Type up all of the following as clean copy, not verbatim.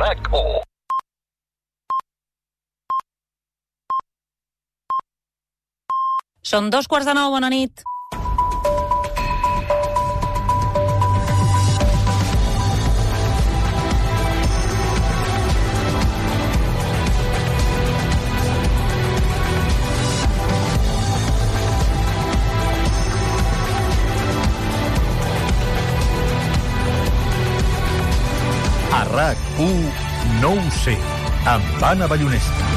RAC1. Són 2:15, bona nit. A RAC1 no ho sé, amb Anna Ballonesta.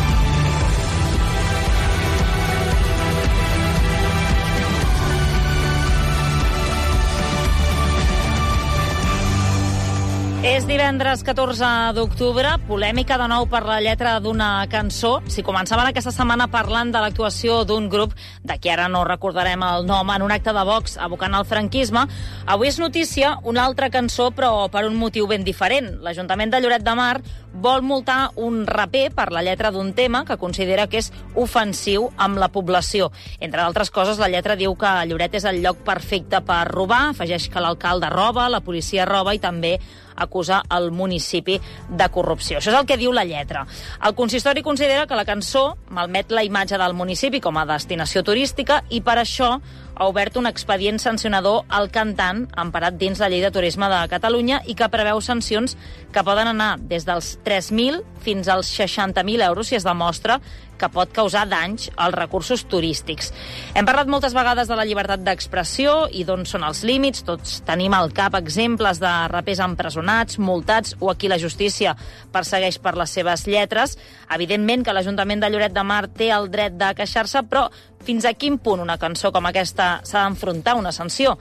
És divendres 14 d'octubre, polèmica de nou per la lletra d'una cançó. Si començaven aquesta setmana parlant de l'actuació d'un grup, de qui ara no recordarem el nom, en un acte de Vox abocant al franquisme, avui és notícia una altra cançó, però per un motiu ben diferent. L'Ajuntament de Lloret de Mar vol multar un raper per la lletra d'un tema que considera que és ofensiu amb la població. Entre d'altres coses, la lletra diu que Lloret és el lloc perfecte per robar, afegeix que l'alcalde roba, la policia roba i també acusa el municipi de corrupció. Això és el que diu la lletra. El consistori considera que la cançó malmet la imatge del municipi com a destinació turística i per això ha obert un expedient sancionador al cantant emparat dins la Llei de Turisme de Catalunya i que preveu sancions que poden anar des dels 3.000 fins als 60.000 euros si es demostra que pot causar danys als recursos turístics. Hem parlat moltes vegades de la llibertat d'expressió i d'on són els límits. Tots tenim al cap exemples de rapers empresonats, multats o a qui la justícia persegueix per les seves lletres. Evidentment que l'Ajuntament de Lloret de Mar té el dret de queixar-se, però fins a quin punt una cançó com aquesta s'ha d'enfrontar a una sanció?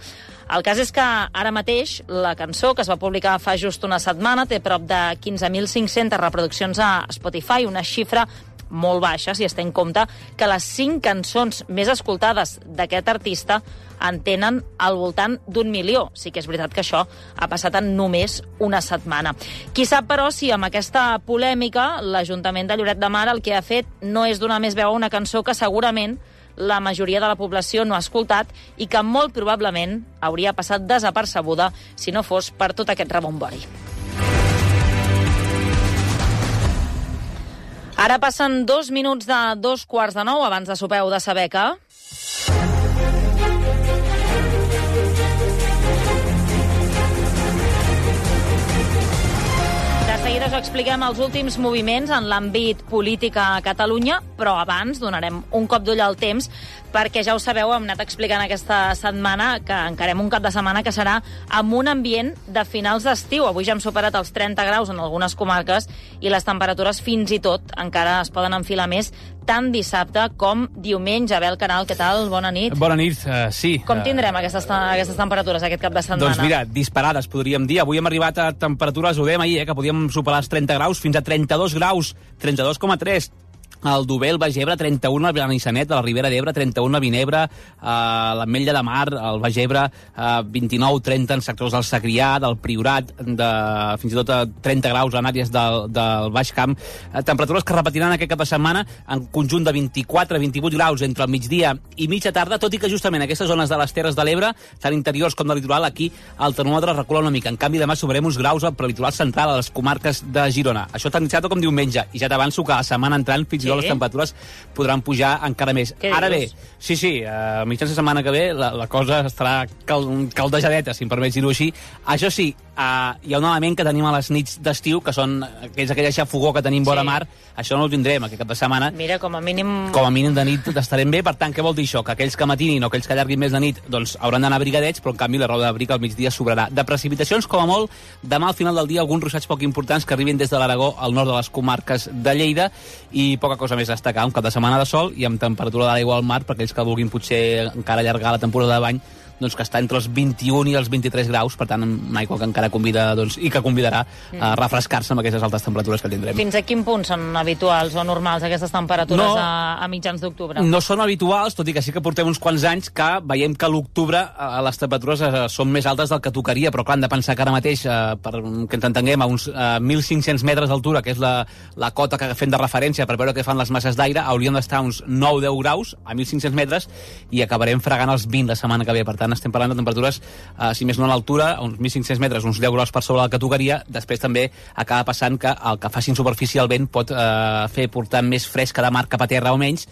El cas és que ara mateix la cançó, que es va publicar fa just una setmana, té prop de 15.500 reproduccions a Spotify, una xifra molt baixa, si es té en compte que les 5 cançons més escoltades d'aquest artista en tenen al voltant d'1 milió. Sí que és veritat que això ha passat en només una setmana. Qui sap, però, si amb aquesta polèmica l'Ajuntament de Lloret de Mar el que ha fet no és donar més veu a una cançó que segurament la majoria de la població no ha escoltat i que molt probablement hauria passat desapercebuda si no fos per tot aquest rebombori. Ara passen 2 minuts de 2:15. Abans de sopar heu de saber que... De seguida us expliquem els últims moviments en l'àmbit polític a Catalunya, però abans donarem un cop d'ull al temps perquè ja ho sabeu, hem anat explicant aquesta setmana que encarem un cap de setmana que serà amb un ambient de finals d'estiu. Avui ja hem superat els 30 graus en algunes comarques i les temperatures fins i tot encara es poden enfilar més tant dissabte com diumenge. Abel Canal, què tal? Bona nit. Bona nit, sí. Com tindrem aquestes temperatures aquest cap de setmana? Doncs mira, disparades, podríem dir. Avui hem arribat a temperatures, ho dèiem ahir, que podíem superar els 30 graus, fins a 32 graus, 32,3. Al Dobel, Baix Ebre, 31 a Benissanet, a la Ribera d'Ebre, 31 a Vinebre, a l'Ametlla de Mar, al Baix Ebre, 29-30 en sectors del Segrià, del Priorat, fins i tot a 30 graus en àrees del Baix Camp. Temperatures que repetiran aquest cap de setmana en conjunt de 24-28 graus entre el migdia i mitja tarda, tot i que justament aquestes zones de les Terres de l'Ebre, tant interiors com de litoral, aquí el termòmetre recula una mica. En canvi, demà sobrem uns graus al litoral central, a les comarques de Girona. Això tant dissabte com diumenge. I ja t'avanço que la setmana entrant fins i tot les temperatures podran pujar encara més. Ara bé, sí, a mitjans de setmana que ve la cosa estarà caldejadeta, si em permets dir-ho així. Això sí, hi ha un element que tenim a les nits d'estiu, que són aquella xafogó que tenim vora mar. Això no ho tindrem aquest cap de setmana. Mira, com a mínim de nit estarem bé. Per tant, què vol dir això? Que aquells que matinin o aquells que allarguin més de nit doncs hauran d'anar abrigadets, però en canvi la roba d'abric al migdia sobrarà. De precipitacions, com a molt, demà al final del dia alguns ruixats poc importants que arribin des de l'Aragó al nord de les comarques de Lleida i poca cosa més a destacar. Un cap de setmana de sol i amb temperatura de l'aigua al mar per aquells que vulguin potser encara allargar la temporada de bany, doncs que està entre els 21 i els 23 graus, per tant, una aigua que encara convida, doncs, i que convidarà a refrescar-se amb aquestes altes temperatures que tindrem. Fins a quin punt són habituals o normals aquestes temperatures a mitjans d'octubre? No són habituals, tot i que sí que portem uns quants anys que veiem que a l'octubre les temperatures són més altes del que tocaria, però clar, hem de pensar que ara mateix, per que ens entenguem, a uns 1.500 metres d'altura, que és la cota que fem de referència per veure què fan les masses d'aire, hauríem d'estar a uns 9-10 graus a 1.500 metres i acabarem fregant els 20 la setmana que ve. Per tant, tant estem parlant de temperatures, si més no a l'altura, a uns 1.500 metres, uns 10 graus per sobre la categoria. Després també acaba passant que el que faci en superfície el vent pot fer portar més fresca de mar cap a terra o menys.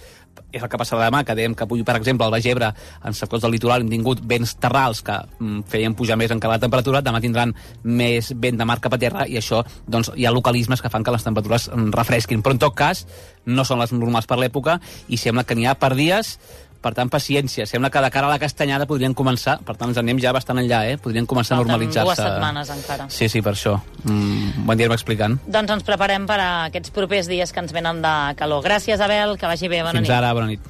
És el que passarà demà, que dèiem que avui, per exemple, al Baix Ebre, en sectors del litoral, hem tingut vents terrals que feien pujar més encara la temperatura. Demà tindran més vent de mar cap a terra i això, doncs, hi ha localismes que fan que les temperatures refresquin. Però, en tot cas, no són les normals per l'època i sembla que n'hi ha per dies. Per tant, paciència. Sembla que de cara a la castanyada podrien començar, per tant, ens anem ja bastant enllà, podrien començar a normalitzar-se. 2 setmanes encara. Sí, per això. Bon dia, explicant. Doncs ens preparem per a aquests propers dies que ens venen de calor. Gràcies, Abel, que vagi bé. Bona nit. Fins ara, bona nit.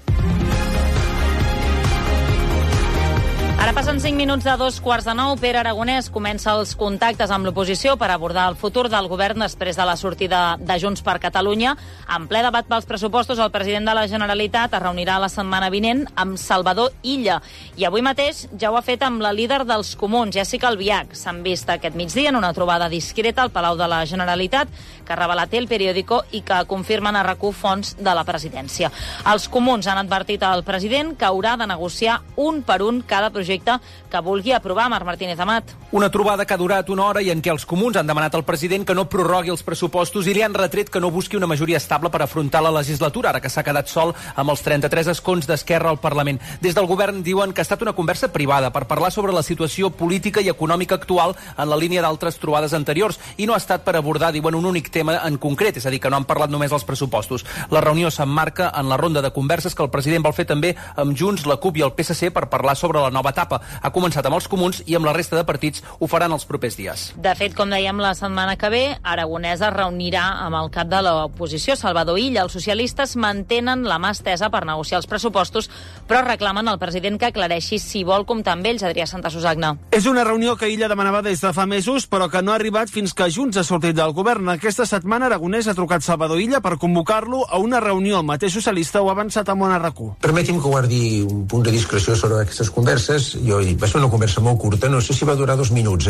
Ara passen 5 minuts de 8:45. Pere Aragonès comença els contactes amb l'oposició per abordar el futur del govern després de la sortida de Junts per Catalunya. En ple debat pels pressupostos, el president de la Generalitat es reunirà la setmana vinent amb Salvador Illa. I avui mateix ja ho ha fet amb la líder dels Comuns, Jessica Albiach. S'han vist aquest migdia en una trobada discreta al Palau de la Generalitat, que ha revelat El Periódico i que confirmen a RAC1 fonts de la presidència. Els Comuns han advertit al president que haurà de negociar un per un cada projecte que vulgui aprovar. Marc Martínez Amat. Una trobada que ha durat una hora i en què els Comuns han demanat al president que no prorrogui els pressupostos i li han retret que no busqui una majoria estable per afrontar la legislatura, ara que s'ha quedat sol amb els 33 escons d'Esquerra al Parlament. Des del govern diuen que ha estat una conversa privada per parlar sobre la situació política i econòmica actual en la línia d'altres trobades anteriors i no ha estat per abordar, diuen, un únic tema en concret, és a dir, que no han parlat només dels pressupostos. La reunió s'emmarca en la ronda de converses que el president vol fer també amb Junts, la CUP i el PSC per parlar sobre la nova etapa. Ha començat amb els Comuns i amb la resta de partits ho faran els propers dies. De fet, com dèiem, la setmana que ve, Aragonès es reunirà amb el cap de l'oposició, Salvador Illa. Els socialistes mantenen la mà estesa per negociar els pressupostos, però reclamen al president que aclareixi si vol comptar amb ells. Adrià Santasusagna. És una reunió que Illa demanava des de fa mesos, però que no ha arribat fins que Junts ha sortit del govern. Aquesta setmana Aragonès ha trucat Salvador Illa per convocar-lo a una reunió. El mateix socialista ho ha avançat a RAC1. Permeti'm que guardi un punt de discreció sobre aquestes converses. Jo he dit, va ser una conversa molt curta, no sé si va durar 2 minuts,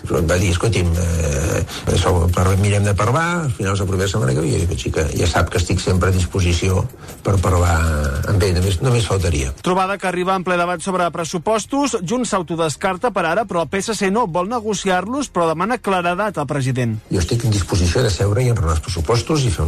Però em va dir, escolti'm, mirem de parlar, al final s'aprova la setmana que ve, i jo dic, ja sap que estic sempre a disposició per parlar amb ell, només faltaria. Trobada que arriba en ple debat sobre pressupostos. Junts s'autodescarta per ara, però el PSC no vol negociar-los, però demana claredat al president. Jo estic en disposició de seure i enraonar els pressupostos i fer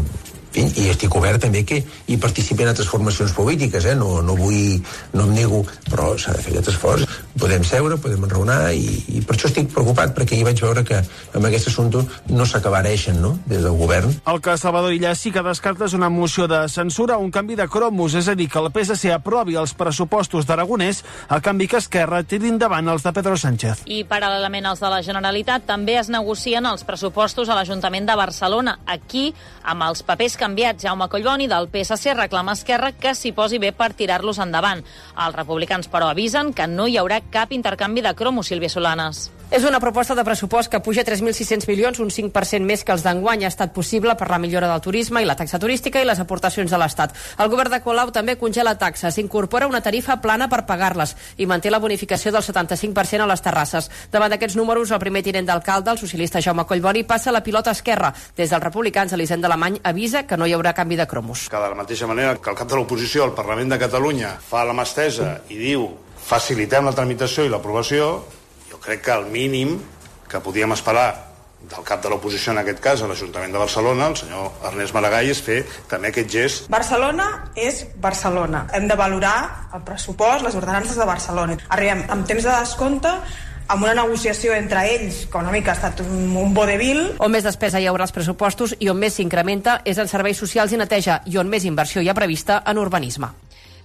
i estic obert també que hi participin altres formacions polítiques, no em nego, però s'ha de fer aquest esforç. Podem seure, podem enraonar i per això estic preocupat, perquè hi vaig veure que amb aquest assumpte no s'acabareixen, des del govern. El que Salvador Illa sí que descarta és una moció de censura o un canvi de cromos, és a dir, que el PSC aprovi els pressupostos d'Aragonès a canvi que Esquerra tiri endavant els de Pedro Sánchez. I paral·lelament als de la Generalitat també es negocien els pressupostos a l'Ajuntament de Barcelona. Aquí, amb els papers canviats, Jaume Collboni del PSC reclama a Esquerra que s'hi posi bé per tirar-los endavant. Els republicans, però, avisen que no hi haurà cap intercanvi de cromos, Sílvia Solanes. És una proposta de pressupost que puja 3.600 milions, un 5% més que els d'enguany. Ha estat possible per la millora del turisme i la taxa turística i les aportacions de l'Estat. El govern de Colau també congela taxes, incorpora una tarifa plana per pagar-les i manté la bonificació del 75% a les terrasses. Davant d'aquests números, el primer tinent d'alcalde, el socialista Jaume Collboni, passa la pilota a Esquerra. Des dels republicans, Elisenda Alemany avisa que no hi haurà canvi de cromos. Que de la mateixa manera que el cap de l'oposició al Parlament de Catalunya fa la mà estesa i diu facilitem la tramitació i l'aprovació, jo crec que el mínim que podíem esperar del cap de l'oposició, en aquest cas a l'Ajuntament de Barcelona, el senyor Ernest Maragall, és fer també aquest gest. Barcelona és Barcelona. Hem de valorar el pressupost, les ordenances de Barcelona. Arribem amb temps de descompte, amb una negociació entre ells, que una mica ha estat un vodevil. On més despesa hi haurà als pressupostos i on més s'incrementa és en serveis socials i neteja, i on més inversió hi ha prevista en urbanisme.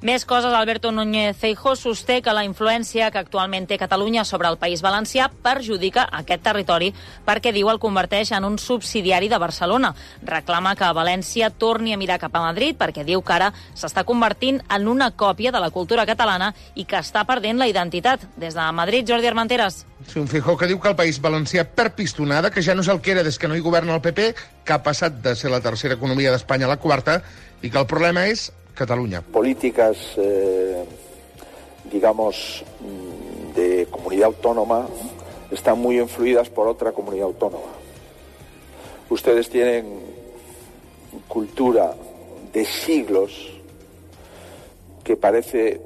Més coses. Alberto Núñez Feijóo sosté que la influència que actualment té Catalunya sobre el País Valencià perjudica aquest territori perquè, diu, el converteix en un subsidiari de Barcelona. Reclama que València torni a mirar cap a Madrid perquè diu que ara s'està convertint en una còpia de la cultura catalana i que està perdent la identitat. Des de Madrid, Jordi Armenteres. Sí, un Feijóo que diu que el País Valencià perd pistonada, que ja no és el que era des que no hi governa el PP, que ha passat de ser la tercera economia d'Espanya a la quarta, i que el problema és Cataluña. Políticas, digamos, de comunidad autónoma están muy influidas por otra comunidad autónoma. Ustedes tienen cultura de siglos que parece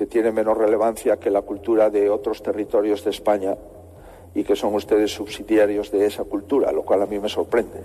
que tiene menos relevancia que la cultura de otros territorios de España y que son ustedes subsidiarios de esa cultura, lo cual a mí me sorprende.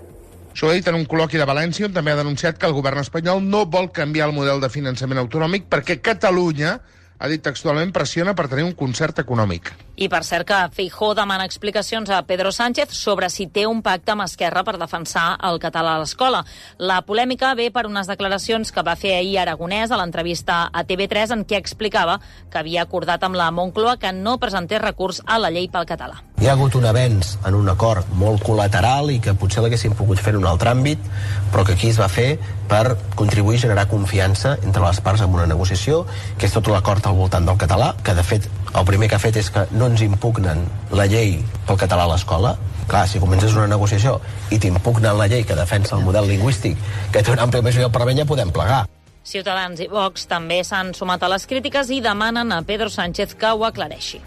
Això ho ha dit en un col·loqui de València, on també ha denunciat que el govern espanyol no vol canviar el model de finançament autonòmic perquè Catalunya, ha dit textualment, pressiona per tenir un concert econòmic. I per cert que Feijóo demana explicacions a Pedro Sánchez sobre si té un pacte amb Esquerra per defensar el català a l'escola. La polèmica ve per unes declaracions que va fer ahir Aragonès a l'entrevista a TV3 en què explicava que havia acordat amb la Moncloa que no presentés recurs a la llei pel català. Hi ha hagut un avenç en un acord molt col·lateral i que potser l'haguéssim pogut fer en un altre àmbit, però que aquí es va fer per contribuir a generar confiança entre les parts en una negociació, que és tot l'acord al voltant del català, que de fet el primer que ha fet és que no ens impugnen la llei pel català a l'escola. Clar, si comences una negociació i t'impugnen la llei que defensa el model lingüístic que té una àmplia majoria del Parlament, ja podem plegar. Ciutadans i Vox també s'han sumat a les crítiques i demanen a Pedro Sánchez que ho aclareixi.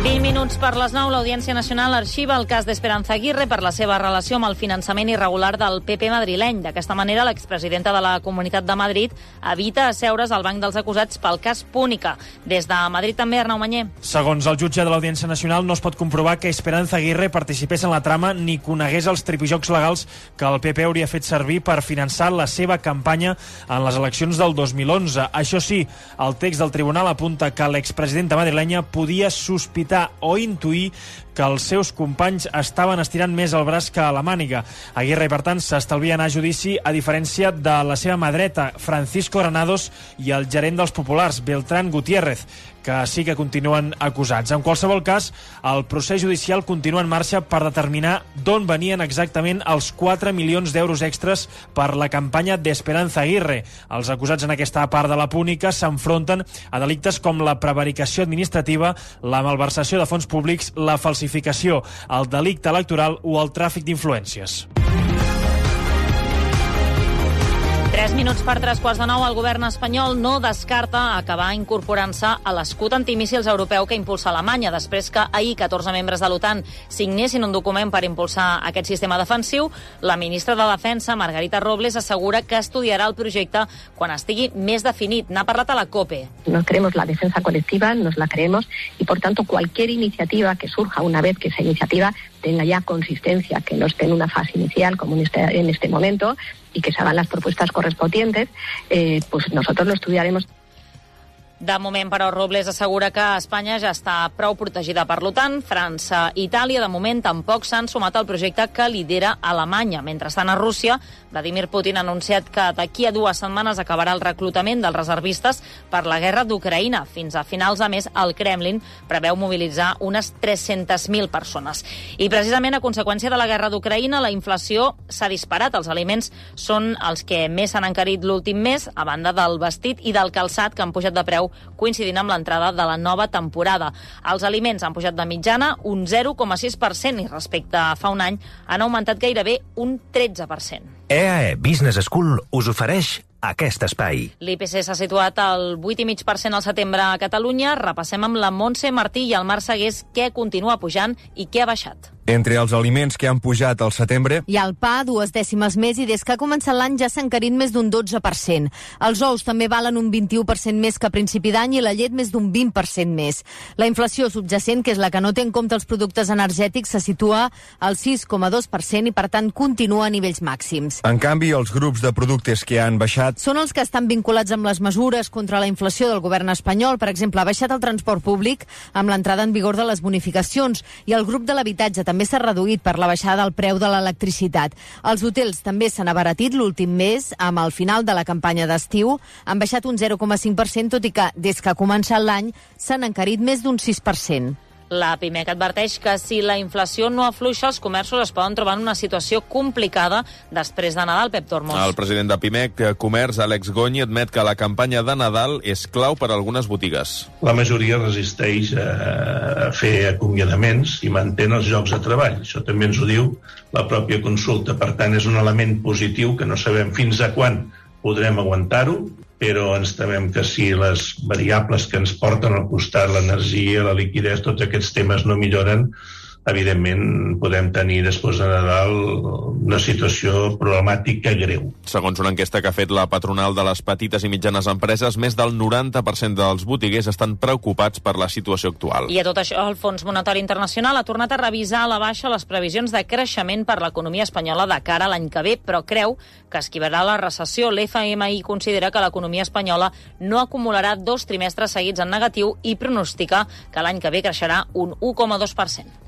20 minuts per les 9, l'Audiència Nacional arxiva el cas d'Esperanza Aguirre per la seva relació amb el finançament irregular del PP madrileny. D'aquesta manera, l'expresidenta de la Comunitat de Madrid evita asseure's al banc dels acusats pel cas Púnica. Des de Madrid també, Arnau Manyer. Segons el jutge de l'Audiència Nacional, no es pot comprovar que Esperanza Aguirre participés en la trama ni conegués els tripijocs legals que el PP hauria fet servir per finançar la seva campanya en les eleccions del 2011. Això sí, el text del tribunal apunta que l'expresidenta madrilenya podia sospitar o intuir que els seus companys estaven estirant més el braç que a la màniga. Aguirre, per tant, s'estalvia anar a judici, a diferència de la seva mà dreta, Francisco Granados, i el gerent dels populars, Beltrán Gutiérrez, que sí que continuen acusats. En qualsevol cas, el procés judicial continua en marxa per determinar d'on venien exactament els 4 milions d'euros extras per la campanya d'Esperanza Aguirre. Els acusats en aquesta part de la Púnica s'enfronten a delictes com la prevaricació administrativa, la malversació de fons públics, la falsificació, el delicte electoral o el tràfic d'influències. 3 minuts per 3:15, el govern espanyol no descarta acabar incorporant-se a l'escut antimíssils europeu que impulsa Alemanya, després que ahir 14 membres de l'OTAN signessin un document per impulsar aquest sistema defensiu. La ministra de Defensa, Margarita Robles, assegura que estudiarà el projecte quan estigui més definit. N'ha parlat a la COPE. No creemos la defensa colectiva, nos la creemos, y por tanto cualquier iniciativa que surja una vez que esa iniciativa tenga ya consistencia, que no esté en una fase inicial como en este momento, y que se hagan las propuestas correspondientes, pues nosotros lo estudiaremos. De moment, però, Robles assegura que Espanya ja està prou protegida per l'OTAN. França i Itàlia, de moment, tampoc s'han sumat al projecte que lidera Alemanya. Mentrestant, a Rússia, Vladimir Putin ha anunciat que d'aquí a 2 setmanes acabarà el reclutament dels reservistes per la guerra d'Ucraïna. Fins a finals de mes, el Kremlin preveu mobilitzar unes 300.000 persones. I precisament a conseqüència de la guerra d'Ucraïna, la inflació s'ha disparat. Els aliments són els que més s'han encarit l'últim mes, a banda del vestit i del calçat, que han pujat de preu coincidint amb l'entrada de la nova temporada. Els aliments han pujat de mitjana un 0,6% i respecte a fa un any han augmentat gairebé un 13%. EAE Business School us ofereix aquest espai. L'IPC s'ha situat al 8,5% al setembre a Catalunya. Repassem amb la Montse Martí i el Marc Segués què continua pujant i què ha baixat. Entre els aliments que han pujat al setembre... Hi ha el pa, 2 dècimes més, i des que ha començat l'any ja s'ha encarit més d'un 12%. Els ous també valen un 21% més que a principi d'any i la llet més d'un 20% més. La inflació subjacent, que és la que no té en compte els productes energètics, se situa al 6,2% i, per tant, continua a nivells màxims. En canvi, els grups de productes que han baixat... Són els que estan vinculats amb les mesures contra la inflació del govern espanyol. Per exemple, ha baixat el transport públic amb l'entrada en vigor de les bonificacions i el grup de l'habitatge també s'ha reduït per la baixada del preu de l'electricitat. Els hotels també s'han abaratit l'últim mes, amb el final de la campanya d'estiu. Han baixat un 0,5%, tot i que, des que ha començat l'any, s'han encarit més d'un 6%. La PIMEC adverteix que si la inflació no afluixa, els comerços es poden trobar en una situació complicada després de Nadal. Pep Tormos. El president de PIMEC Comerç, Àlex Gony, admet que la campanya de Nadal és clau per a algunes botigues. La majoria resisteix a fer acomiadaments i mantén els llocs de treball. Això també ens ho diu la pròpia consulta. Per tant, és un element positiu que no sabem fins a quan podrem aguantar-ho, però ens temem que si les variables que ens porten al costat, l'energia, la liquiditat, tots aquests temes no milloren, evidentment podem tenir després de Nadal una situació problemàtica greu. Segons una enquesta que ha fet la patronal de les petites i mitjanes empreses, més del 90% dels botiguers estan preocupats per la situació actual. I a tot això, el Fons Monetari Internacional ha tornat a revisar a la baixa les previsions de creixement per l'economia espanyola de cara a l'any que ve, però creu que esquivarà la recessió. L'FMI considera que l'economia espanyola no acumularà 2 trimestres seguits en negatiu i pronostica que l'any que ve creixerà un 1,2%.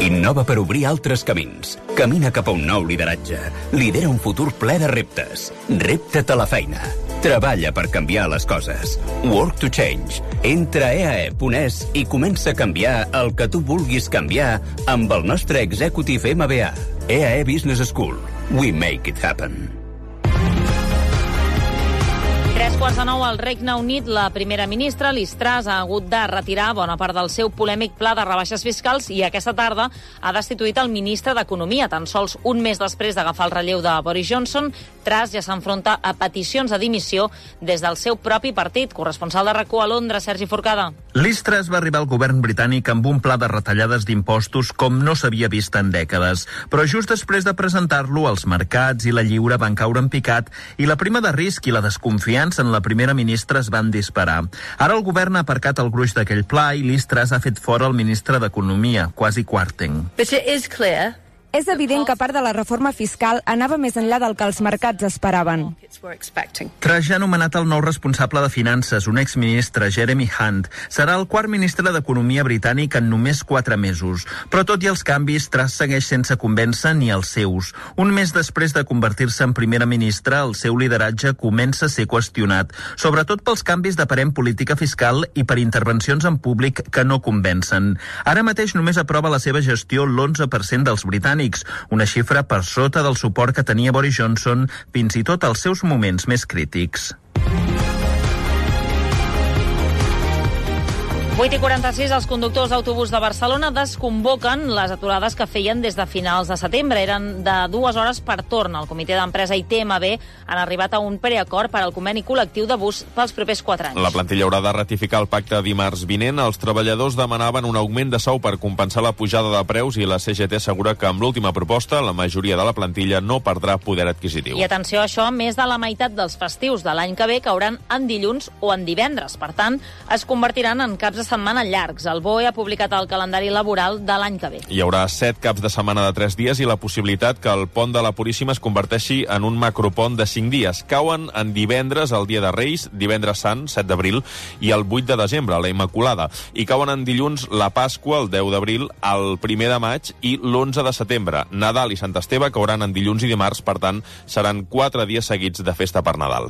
Innova per obrir altres camins. Camina cap a un nou lideratge. Lidera un futur ple de reptes. Repta't a la feina. Treballa per canviar les coses. Work to change. Entra a eae.es i comença a canviar el que tu vulguis canviar amb el nostre Executive MBA. EAE Business School. We make it happen. 3:45 al Regne Unit, la primera ministra, Liz Truss, ha hagut de retirar bona part del seu polèmic pla de rebaixes fiscals i aquesta tarda ha destituït el ministre d'Economia. Tan sols un mes després d'agafar el relleu de Boris Johnson, Truss ja s'enfronta a peticions de dimissió des del seu propi partit. Corresponsal de RAC1 a Londres, Sergi Forcada. Liz Truss va arribar al govern britànic amb un pla de retallades d'impostos com no s'havia vist en dècades. Però just després de presentar-lo, els mercats i la lliure van caure en picat i la prima de risc i la desconfiança en la primera ministra es van disparar. Ara el govern ha aparcat el gruix d'aquell pla i Liz Truss ha fet fora el ministre d'Economia, Kwasi Kwarteng. But it is clear. És evident que part de la reforma fiscal anava més enllà del que els mercats esperaven. Truss ja ha nomenat el nou responsable de finances, un exministre, Jeremy Hunt. Serà el quart ministre d'Economia britànic en només 4 mesos. Però tot i els canvis, Truss segueix sense convèncer ni els seus. Un mes després de convertir-se en primera ministra, el seu lideratge comença a ser qüestionat, sobretot pels canvis d'aparent política fiscal i per intervencions en públic que no convencen. Ara mateix només aprova la seva gestió l'11% dels britànics, una xifra per sota del suport que tenia Boris Johnson fins i tot als seus moments més crítics. 8:46, els conductors d'autobús de Barcelona desconvoquen les aturades que feien des de finals de setembre. Eren de 2 hores per torn. El comitè d'empresa i TMB han arribat a un preacord per al conveni col·lectiu de bus pels propers 4 anys. La plantilla haurà de ratificar el pacte dimarts vinent. Els treballadors demanaven un augment de sou per compensar la pujada de preus i la CGT assegura que amb l'última proposta la majoria de la plantilla no perdrà poder adquisitiu. I atenció a això, més de la meitat dels festius de l'any que ve cauran en dilluns o en divendres. Per tant, es convertiran en caps de setmana llargs. El BOE ha publicat el calendari laboral de l'any que ve. Hi haurà 7 caps de setmana de 3 dies i la possibilitat que el pont de la Puríssima es converteixi en un macropont de 5 dies. Cauen en divendres el dia de Reis, divendres Sant, 7 d'abril, i el 8 de desembre, la Immaculada. I cauen en dilluns la Pasqua, el 10 d'abril, el 1 de maig i l'11 de setembre. Nadal i Sant Esteve cauran en dilluns i dimarts, per tant, seran 4 dies seguits de festa per Nadal.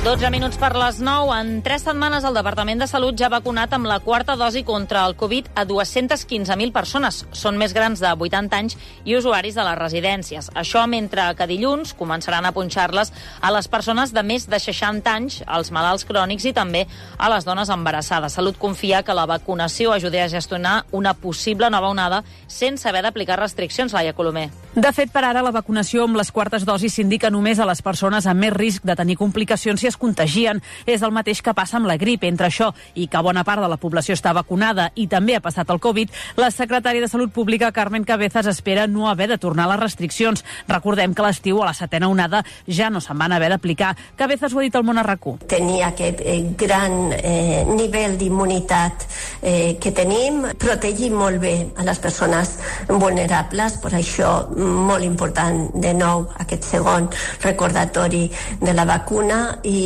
12 minuts per les 9. En 3 setmanes el Departament de Salut ja ha vacunat amb la 4ª dosi contra el Covid a 215.000 persones. Són més grans de 80 anys i usuaris de les residències. Això mentre que dilluns començaran a punxar-les a les persones de més de 60 anys, als malalts crònics i també a les dones embarassades. Salut confia que la vacunació ajudi a gestionar una possible nova onada sense haver d'aplicar restriccions, Laia Colomer. De fet, per ara la vacunació amb les 4es dosis s'indica només a les persones amb més risc de tenir complicacions si es contagien. És el mateix que passa amb la grip. Entre això i que bona part de la població està vacunada i també ha passat el Covid, la secretària de Salut Pública, Carmen Cabezas, espera no haver de tornar a les restriccions. Recordem que a l'estiu, a la 7ª onada, ja no se'n van haver d'aplicar. Cabezas ho ha dit al Món a RAC1. Tenir aquest gran nivell d'immunitat que tenim, protegir molt bé a les persones vulnerables, per això molt important de nou aquest segon recordatori de la vacuna i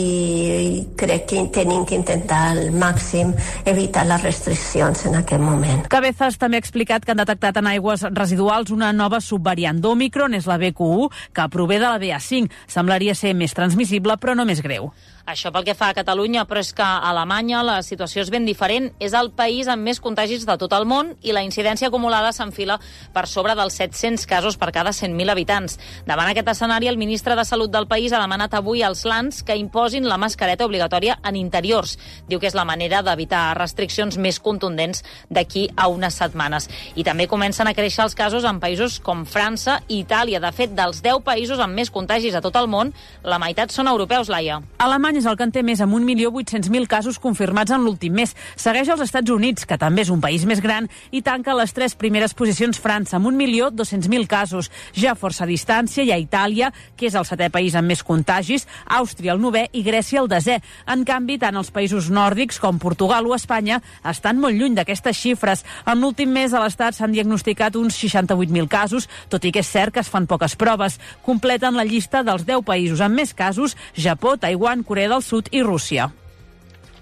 crec que tenim que intentar al màxim evitar les restriccions en aquest moment. Cabezas també ha explicat que han detectat en aigües residuals una nova subvariant d'Òmicron, és la BQ1, que prové de la BA5. Semblaria ser més transmissible, però no més greu. Això pel que fa a Catalunya, però és que a Alemanya la situació és ben diferent. És el país amb més contagis de tot el món i la incidència acumulada s'enfila per sobre dels 700 casos per cada 100.000 habitants. Davant aquest escenari, el ministre de Salut del país ha demanat avui als lands que imposin la mascareta obligatòria en interiors. Diu que és la manera d'evitar restriccions més contundents d'aquí a unes setmanes. I també comencen a créixer els casos en països com França i Itàlia. De fet, dels 10 països amb més contagis a tot el món, la meitat són europeus, Laia. Alemanya Espanya és el que en té més, amb 1.800.000 casos confirmats en l'últim mes. Segueix els Estats Units, que també és un país més gran, i tanca les 3 primeres posicions França, amb 1.200.000 casos. Ja a força distància hi ha Itàlia, que és el 7è país amb més contagis, Àustria el 9è i Grècia el 10è. En canvi, tant els països nòrdics com Portugal o Espanya estan molt lluny d'aquestes xifres. En l'últim mes a l'Estat s'han diagnosticat uns 68.000 casos, tot i que és cert que es fan poques proves. Completen la llista dels 10 països amb més casos: Japó, Taiwan, Corea del Sud i Rússia.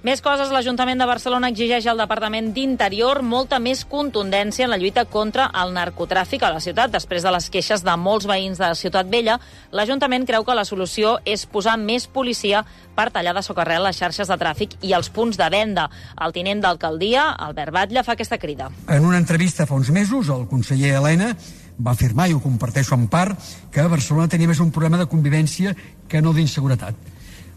Més coses, l'Ajuntament de Barcelona exigeix al Departament d'Interior molta més contundència en la lluita contra el narcotràfic a la ciutat. Després de les queixes de molts veïns de Ciutat Vella, l'Ajuntament creu que la solució és posar més policia per tallar de socarrel les xarxes de tràfic i els punts de venda. El tinent d'alcaldia, Albert Batlle, fa aquesta crida. En una entrevista fa uns mesos, el conseller Elena va afirmar, i ho comparteixo en part, que Barcelona tenia més un problema de convivència que no d'inseguretat.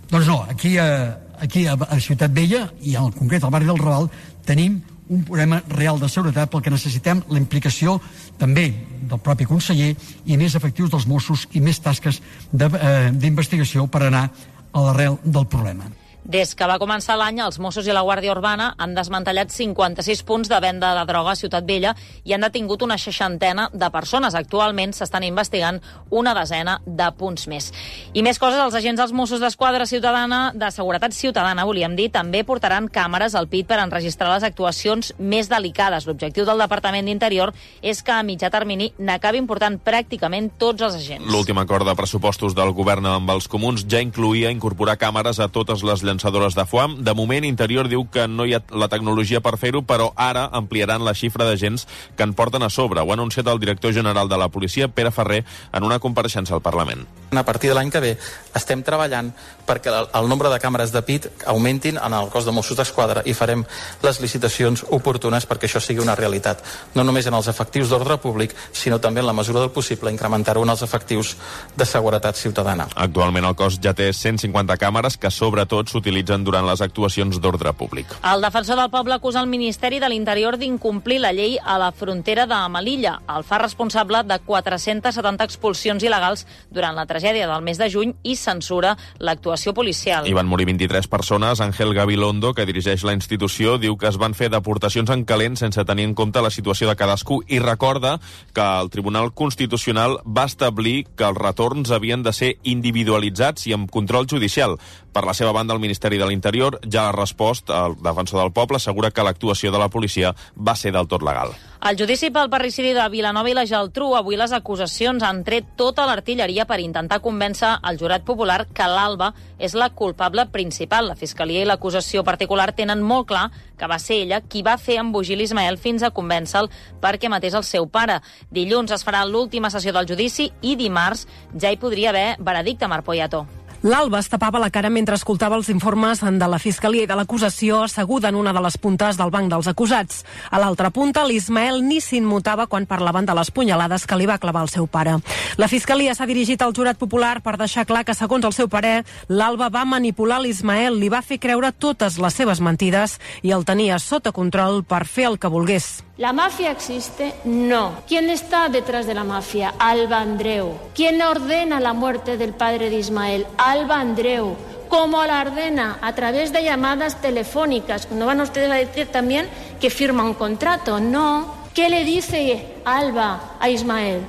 Doncs no, aquí a Ciutat Vella, i en concret al barri del Raval, tenim un problema real de seguretat, pel que necessitem la implicació també del propi conseller i més efectius dels Mossos i més tasques d'investigació per anar a l'arrel del problema. Des que va començar l'any, els Mossos i la Guàrdia Urbana han desmantellat 56 punts de venda de droga a Ciutat Vella i han detingut una 60 de persones. Actualment s'estan investigant una desena de punts més. I més coses, els agents dels Mossos d'Esquadra ciutadana, de seguretat ciutadana, volíem dir, també portaran càmeres al PIT per enregistrar les actuacions més delicades. L'objectiu del Departament d'Interior és que a mitjà termini n'acabin portant pràcticament tots els agents. L'últim acord de pressupostos del govern amb els comuns ja incloïa incorporar càmeres a totes les llançadores de foam. De moment, Interior diu que no hi ha la tecnologia per fer-ho, però ara ampliaran la xifra d'agents que en porten a sobre. Ho ha anunciat el director general de la policia, Pere Ferrer, en una compareixença al Parlament. A partir de l'any que ve estem treballant perquè el nombre de càmeres de PIT augmentin en el cos de Mossos d'Esquadra i farem les licitacions oportunes perquè això sigui una realitat. No només en els efectius d'ordre públic, sinó també en la mesura del possible incrementar-ho en els efectius de seguretat ciutadana. Actualment el cos ja té 150 càmeres que sobretot s'utilitzen durant les actuacions d'ordre públic. El defensor del poble acusa el Ministeri de l'Interior d'incomplir la llei a la frontera de Melilla. El fa responsable de 470 expulsions il·legals durant la tragèdia del mes de juny i censura l'actuació policial. Hi van morir 23 persones. Ángel Gabilondo, que dirigeix la institució, diu que es van fer deportacions en calent sense tenir en compte la situació de cadascú i recorda que el Tribunal Constitucional va establir que els retorns havien de ser individualitzats i amb control judicial. Per la seva banda, el Ministeri de l'Interior ja ha respost. El defensor del poble assegura que l'actuació de la policia va ser del tot legal. Al judici pel parricidi de Vilanova i la Geltrú, avui les acusacions han tret tota l'artilleria per intentar convèncer el jurat popular que l'Alba és la culpable principal. La Fiscalia i l'acusació particular tenen molt clar que va ser ella qui va fer embogir l'Ismael fins a convèncer-lo perquè matés el seu pare. Dilluns es farà l'última sessió del judici i dimarts ja hi podria haver veredicte, Marc Poyato. L'Alba es tapava la cara mentre escoltava els informes de la Fiscalia i de l'acusació, asseguda en una de les puntes del banc dels acusats. A l'altra punta, l'Ismael ni s'immutava quan parlaven de les punyalades que li va clavar el seu pare. La Fiscalia s'ha dirigit al jurat popular per deixar clar que, segons el seu parer, l'Alba va manipular l'Ismael, li va fer creure totes les seves mentides i el tenia sota control per fer el que volgués. ¿La mafia existe? No. ¿Quién está detrás de la mafia? Alba Andreu. ¿Quién ordena la muerte del padre de Ismael? Alba Andreu. ¿Cómo la ordena? A través de llamadas telefónicas. ¿No van ustedes a decir también que firma un contrato? No. ¿Qué le dice Alba a Ismael?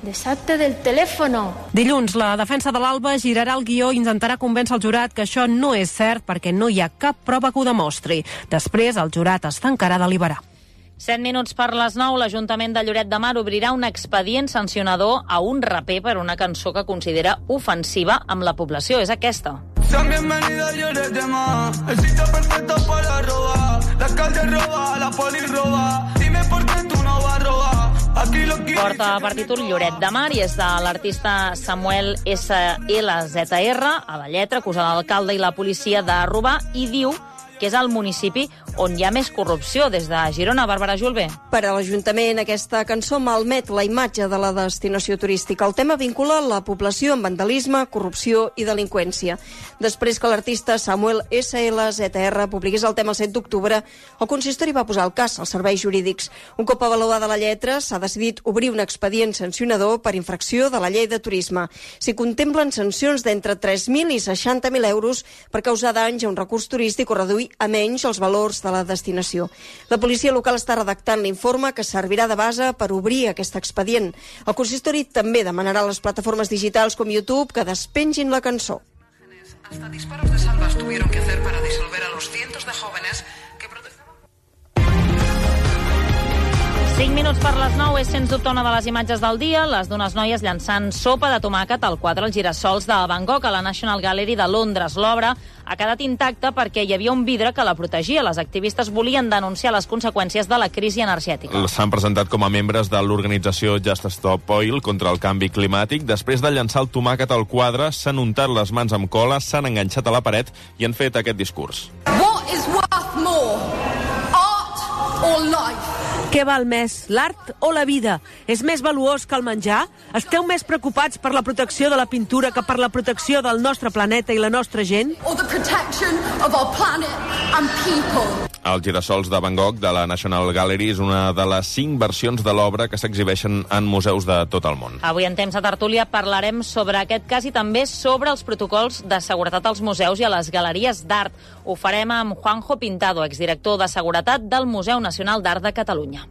Deshacte del telèfon. Dilluns, la defensa de l'Alba girarà el guió i intentarà convèncer el jurat que això no és cert perquè no hi ha cap prova que ho demostri. Després, el jurat es tancarà a deliberar. 7 minuts per les 9, l'Ajuntament de Lloret de Mar obrirà un expedient sancionador a un raper per una cançó que considera ofensiva amb la població. És aquesta. Sean bienvenidos a Lloret de Mar, el sitio perfecto para robar. L'alcalde roba, la poli roba, dime por qué tú no vas a robar. Porta per títol Lloret de Mar i és de l'artista Samuel SLZR. A la lletra acusa l'alcalde i la policia de robar i diu que és el municipi on hi ha més corrupció. Des de Girona, Bàrbara Julve. Per a l'Ajuntament, aquesta cançó malmet la imatge de la destinació turística. El tema vincula la població amb vandalisme, corrupció i delinqüència. Després que l'artista Samuel SLZR publiqués el tema el 7 d'octubre, el consistori va posar el cas als serveis jurídics. Un cop avaluada la lletra, s'ha decidit obrir un expedient sancionador per infracció de la llei de turisme. S'hi contemplen sancions d'entre 3.000 i 60.000 euros per causar danys a un recurs turístic o reduir a menys els valors de la destinació. La policia local està redactant l'informe que servirà de base per obrir aquest expedient. El consistori també demanarà a les plataformes digitals com YouTube que despengin la cançó. Hasta disparos de salvas tuvieron que hacer para disolver a los cientos de jóvenes que protestaban. 5 minuts per les 9 és, sens dubte, una de les imatges del dia. Les d'unes noies llançant sopa de tomàquet al quadre Els girassols de Van Gogh a la National Gallery de Londres. L'obra ha quedat intacta perquè hi havia un vidre que la protegia. Les activistes volien denunciar les conseqüències de la crisi energètica. S'han presentat com a membres de l'organització Just Stop Oil contra el canvi climàtic. Després de llançar el tomàquet al quadre, s'han untat les mans amb cola, s'han enganxat a la paret i han fet aquest discurs. What is worth more? Art or life? Què val més, l'art o la vida? És més valuós que el menjar? Esteu més preocupats per la protecció de la pintura que per la protecció del nostre planeta i la nostra gent? Or the protection of our planet and people? Els girassols de Van Gogh de la National Gallery és una de les 5 versions de l'obra que s'exhibeixen en museus de tot el món. Avui en Temps de Tertúlia parlarem sobre aquest cas i també sobre els protocols de seguretat als museus i a les galeries d'art. Ho farem amb Juanjo Pintado, exdirector de Seguretat del Museu Nacional d'Art de Catalunya.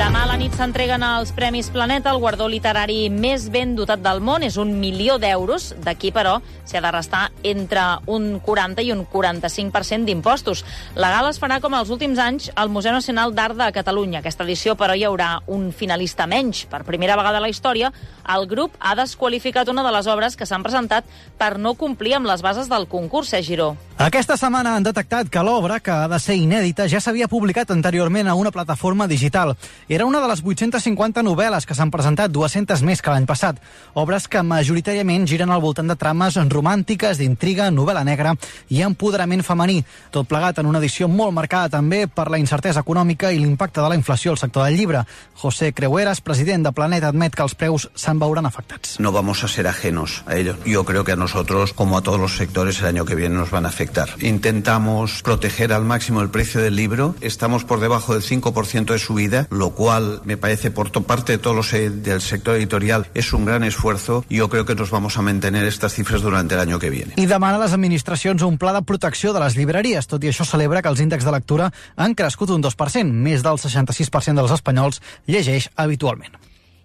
Demà a la nit s'entreguen els Premis Planeta, el guardó literari més ben dotat del món. És 1 milió d'euros. D'aquí, però, s'hi ha de restar entre un 40 i un 45% d'impostos. La gala es farà, com els últims anys, al Museu Nacional d'Art de Catalunya. Aquesta edició, però, hi haurà un finalista menys. Per primera vegada a la història, el grup ha desqualificat una de les obres que s'han presentat per no complir amb les bases del concurs, Giró. Aquesta setmana han detectat que l'obra, que ha de ser inèdita, ja s'havia publicat anteriorment a una plataforma digital. Era una de les 850 novel·les que s'han presentat, 200 més que l'any passat. Obres que majoritàriament giren al voltant de trames romàntiques, d'intriga, novel·la negra i empoderament femení. Tot plegat en una edició molt marcada també per la incertesa econòmica i l'impacte de la inflació al sector del llibre. José Creueras, president de Planeta, admet que els preus se'n veuran afectats. No vamos a ser ajenos a ello. Yo creo que a nosotros, como a todos los sectores, el año que viene nos van a afectar. Intentamos proteger al máximo el precio del libro. Estamos por debajo del 5% de subida, lo cual me parece por parte de todos los del sector editorial es un gran esfuerzo. Yo creo que nos vamos a mantener estas cifras durante el año que viene. I demana a les administracions un pla de protecció de les llibreries. Tot i això celebra que els índexs de lectura han crescut un 2%. Més del 66% dels espanyols llegeix habitualment.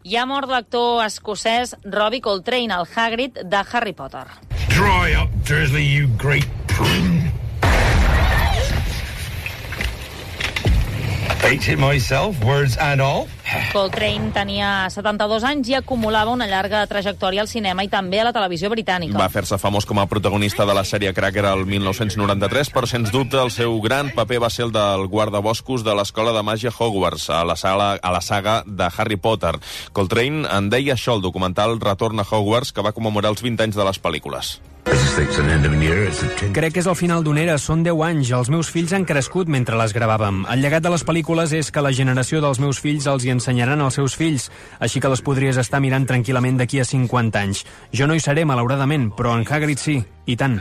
Hi ha mort l'actor escocès Robbie Coltrane, el Hagrid de Harry Potter. Dry up, Dursley, you great prune. Hated myself, words and all. Coltrane tenia 72 anys i acumulava una llarga trajectòria al cinema i també a la televisió britànica. Va fer-se famós com a protagonista de la sèrie Cracker el 1993, però sens dubte el seu gran paper va ser el del guardaboscos de l'escola de màgia Hogwarts, a la saga de Harry Potter. Coltrane en deia això al documental Retorn a Hogwarts, que va commemorar els 20 anys de les pel·lícules. Crec que és el final d'una era, són 10 anys. Els meus fills han crescut mentre les gravàvem. El llegat de les pel·lícules és que la generació dels meus fills els hi ensenyaran als seus fills, així que les podries estar mirant tranquil·lament d'aquí a 50 anys. Jo no hi seré, malauradament, però en Hagrid sí, i tant.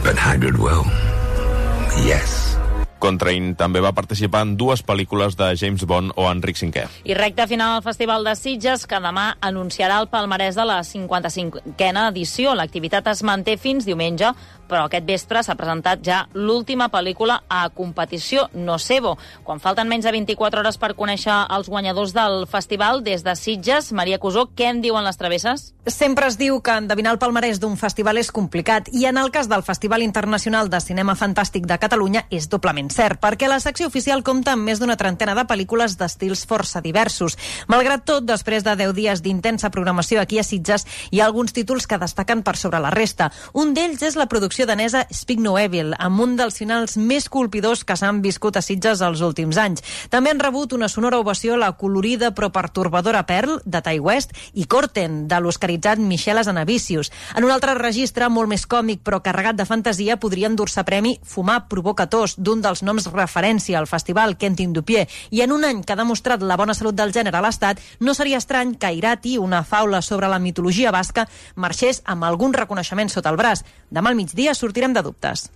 But Hagrid will. Yes. Coltrane també va participar en 2 pel·lícules de James Bond o Enric V. I recta final al Festival de Sitges, que demà anunciarà el palmarès de la 55a edició. L'activitat es manté fins diumenge, però aquest vespre s'ha presentat ja l'última pel·lícula a competició, Nocebo. Quan falten menys de 24 hores per conèixer els guanyadors del festival, des de Sitges, Maria Cusó, què en diuen les travesses? Sempre es diu que endevinar el palmarès d'un festival és complicat, i en el cas del Festival Internacional de Cinema Fantàstic de Catalunya és doblement ben cert, perquè la secció oficial compta amb més d'una trentena de pel·lícules d'estils força diversos. Malgrat tot, després de 10 dies d'intensa programació aquí a Sitges, hi ha alguns títols que destaquen per sobre la resta. Un d'ells és la producció danesa Speak No Evil, amb un dels finals més colpidors que s'han viscut a Sitges els últims anys. També han rebut una sonora ovació la colorida però pertorbadora Pearl, de Ty West, i Corten, de l'oscaritzat Michel Hazanavicius. En un altre registre, molt més còmic però carregat de fantasia, podria endur-se premi Fumar provoca tos, d'un dels noms referència al festival Quentin Dupieux. I en un any que ha demostrat la bona salut del gènere a l'Estat, no seria estrany que Irati, una faula sobre la mitologia basca, marxés amb algun reconeixement sota el braç. Demà al migdia sortirem de dubtes.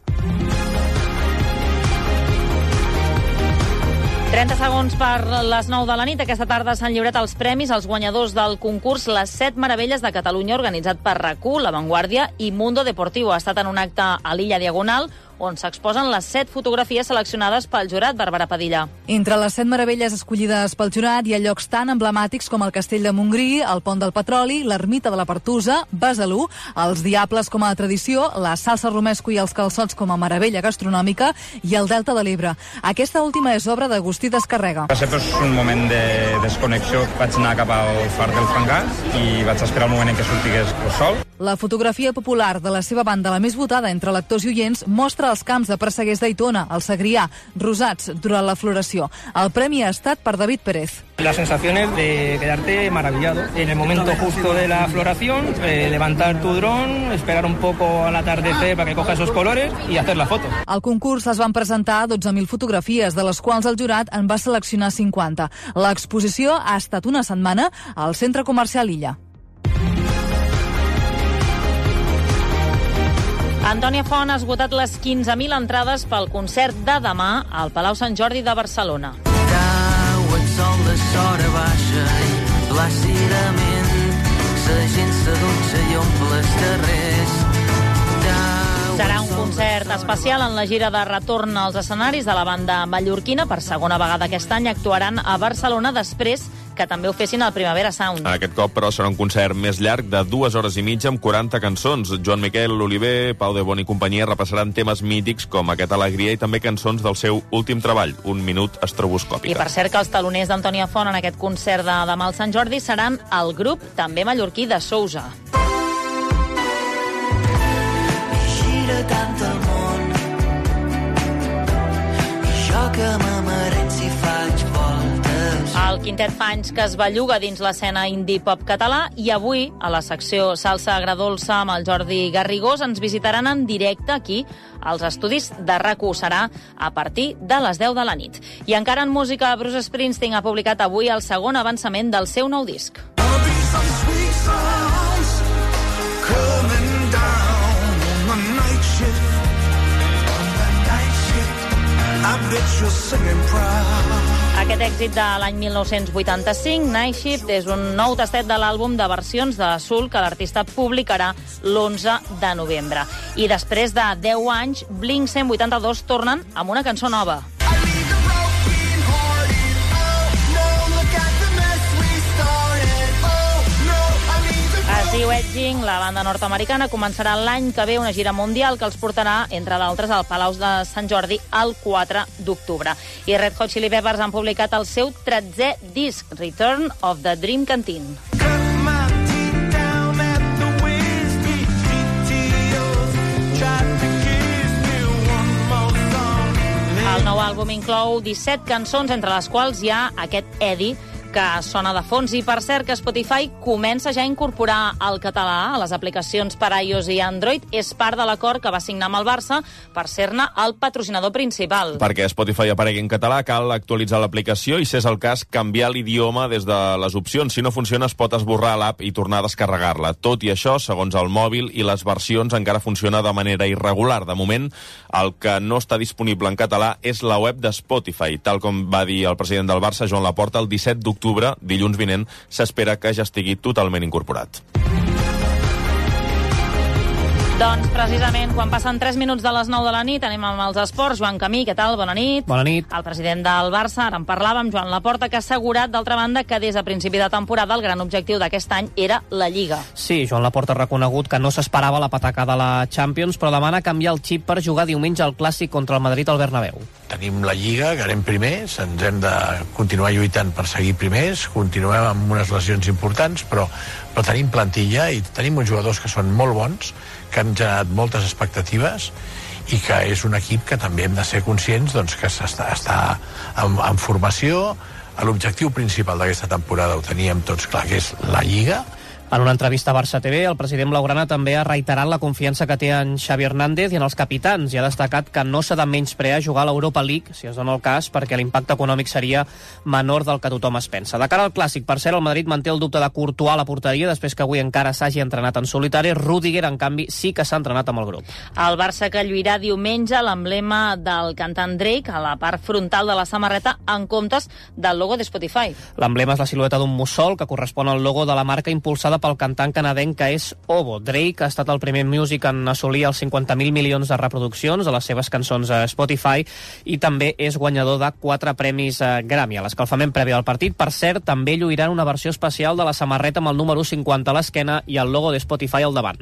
30 segons per les 9 de la nit. Aquesta tarda s'han lliurat els premis als guanyadors del concurs Les 7 Meravelles de Catalunya, organitzat per RAC1, La Vanguardia i Mundo Deportivo. Ha estat en un acte a l'Illa Diagonal, on s'exposen les 7 fotografies seleccionades pel jurat. Bàrbara Padilla. Entre les 7 meravelles escollides pel jurat hi ha llocs tan emblemàtics com el Castell de Montgrí, el Pont del Petroli, l'Ermita de la Pertusa, Besalú, els Diables com a tradició, la salsa romesco i els calçots com a meravella gastronòmica i el Delta de l'Ebre. Aquesta última és obra d'Agustí Descarrega. Va ser un moment de desconnexió. Vaig anar cap al far del Fangar i vaig esperar el moment en què sortigués el sol. La fotografia popular de la seva banda, la més votada entre lectors i oients, mostra els camps de Presseguers d'Aitona, el Segrià, rosats durant la floració. El premi ha estat per David Pérez. La sensación es de quedarte maravillado. En el momento justo de la floración, levantar tu dron, esperar un poco al atardecer para que coja esos colores y hacer la foto. Al concurs es van presentar 12.000 fotografies, de les quals el jurat en va seleccionar 50. L'exposició ha estat una setmana al Centre Comercial Illa. Antònia Font ha esgotat les 15.000 entrades pel concert de demà al Palau Sant Jordi de Barcelona. Cau el sol de sora baixa i plàcidament la gent s'adutxa i omple els carrers. Serà un concert especial en la gira de retorn als escenaris de la banda mallorquina. Per segona vegada aquest any actuaran a Barcelona després que també ho fessin al Primavera Sound. Aquest cop, però, serà un concert més llarg de 2 hores i mitja amb 40 cançons. Joan Miquel Oliver, Pau de Bon i companyia repassaran temes mítics com aquest Alegria i també cançons del seu últim treball, Un minut estroboscòpica. I per cert que els taloners d'Antònia Font en aquest concert de demà al Sant Jordi seran el grup també mallorquí de Sousa. Gira tant el món i jo que m'amarem si faig voltes. El quintet fa anys que es belluga dins l'escena indie-pop català i avui, a la secció Salsa Agradolça amb el Jordi Garrigós, ens visitaran en directe aquí als estudis de RAC1. Serà a partir de les 10 de la nit. I encara en música, Bruce Springsteen ha publicat avui el segon avançament del seu nou disc. Aquest èxit de l'any 1985, Night Shift, és un nou tastet de l'àlbum de versions de Soul que l'artista publicarà l'11 de novembre. I després de 10 anys, Blink-182 tornen amb una cançó nova. Es diu Edging. La banda nord-americana començarà l'any que ve una gira mundial que els portarà, entre d'altres, al Palau de Sant Jordi el 4 d'octubre. I Red Hot Chili Peppers han publicat el seu 13è disc, Return of the Dream Canteen. El nou àlbum inclou 17 cançons, entre les quals hi ha aquest Eddie, que sona de fons. I per cert que Spotify comença ja a incorporar el català a les aplicacions per iOS i Android. És part de l'acord que va signar amb el Barça per ser-ne el patrocinador principal. Perquè Spotify aparegui en català cal actualitzar l'aplicació i, si és el cas, canviar l'idioma des de les opcions. Si no funciona, es pot esborrar l'app i tornar a descarregar-la. Tot i això, segons el mòbil i les versions, encara funciona de manera irregular. De moment, el que no està disponible en català és la web de Spotify. Tal com va dir el president del Barça, Joan Laporta, el 17 d'octubre, dilluns vinent, s'espera que ja estigui totalment incorporat. Doncs precisament quan passen 3 minuts de les 9 de la nit anem amb els esports. Joan Camí, què tal? Bona nit. Bona nit. El president del Barça, ara en parlàvem, Joan Laporta, que ha assegurat, d'altra banda, que des de principi de temporada el gran objectiu d'aquest any era la Lliga. Sí, Joan Laporta ha reconegut que no s'esperava la patacada de la Champions, però demana canviar el xip per jugar diumenge al Clàssic contra el Madrid al Bernabéu. tenim la Lliga, que anem primers, ens hem de continuar lluitant per seguir primers, continuem amb unes lesions importants, però tenim plantilla i tenim uns jugadors que són molt bons, que han generat moltes expectatives i que és un equip que també hem de ser conscients doncs, que està en formació. L'objectiu principal d'aquesta temporada ho teníem tots clar, que és la Lliga. En una entrevista a Barça TV, el president blaugrana també ha reiterat la confiança que té en Xavi Hernández i en els capitans i ha destacat que no s'ha de menysprear jugar a l'Europa League, si es dona el cas, perquè l'impacte econòmic seria menor del que tothom es pensa. De cara al Clàssic, per cert, el Madrid manté el dubte de Courtois a la porteria després que avui encara s'hagi entrenat en solitari. Rüdiger, en canvi, sí que s'ha entrenat amb el grup. El Barça que lluirà diumenge l'emblema del cantant Drake a la part frontal de la samarreta en comptes del logo de Spotify. L'emblema és la silueta d'un mussol que correspon al logo de la marca impulsada pel cantant canadenc que és Ovo. Drake ha estat el primer músic en assolir els 50.000 milions de reproduccions de les seves cançons a Spotify i també és guanyador de 4 premis Grammy. A l'escalfament previ al partit, per cert, també lluiran una versió especial de la samarreta amb el número 50 a l'esquena i el logo de Spotify al davant.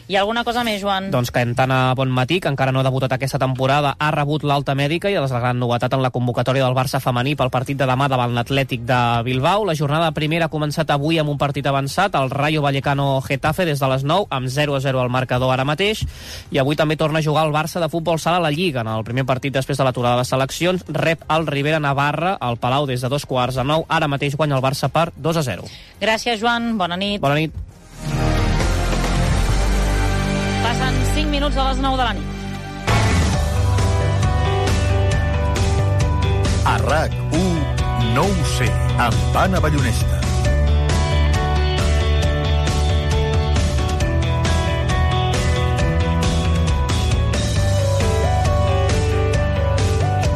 Hi ha alguna cosa més, Joan? Doncs que Tana Bonmatí, que encara no ha debutat aquesta temporada, ha rebut l'alta mèdica i és la gran novetat en la convocatòria del Barça femení pel partit de demà davant l'Atlètic de Bilbao. La jornada primera ha començat avui amb un partit avançat, el Rayo Vallecano Getafe des de les 9, amb 0-0 al marcador ara mateix, i avui també torna a jugar el Barça de futbol sala a la Lliga. En el primer partit després de l'aturada de les seleccions, rep el Rivera Navarra al Palau des de 2:15. Ara mateix guanya el Barça per 2-0. Gràcies, Joan. Bona nit. Bona nit. Passen 5 minuts a les 9 de la nit. A RAC1, no ho sé, amb Anna Ballonesta.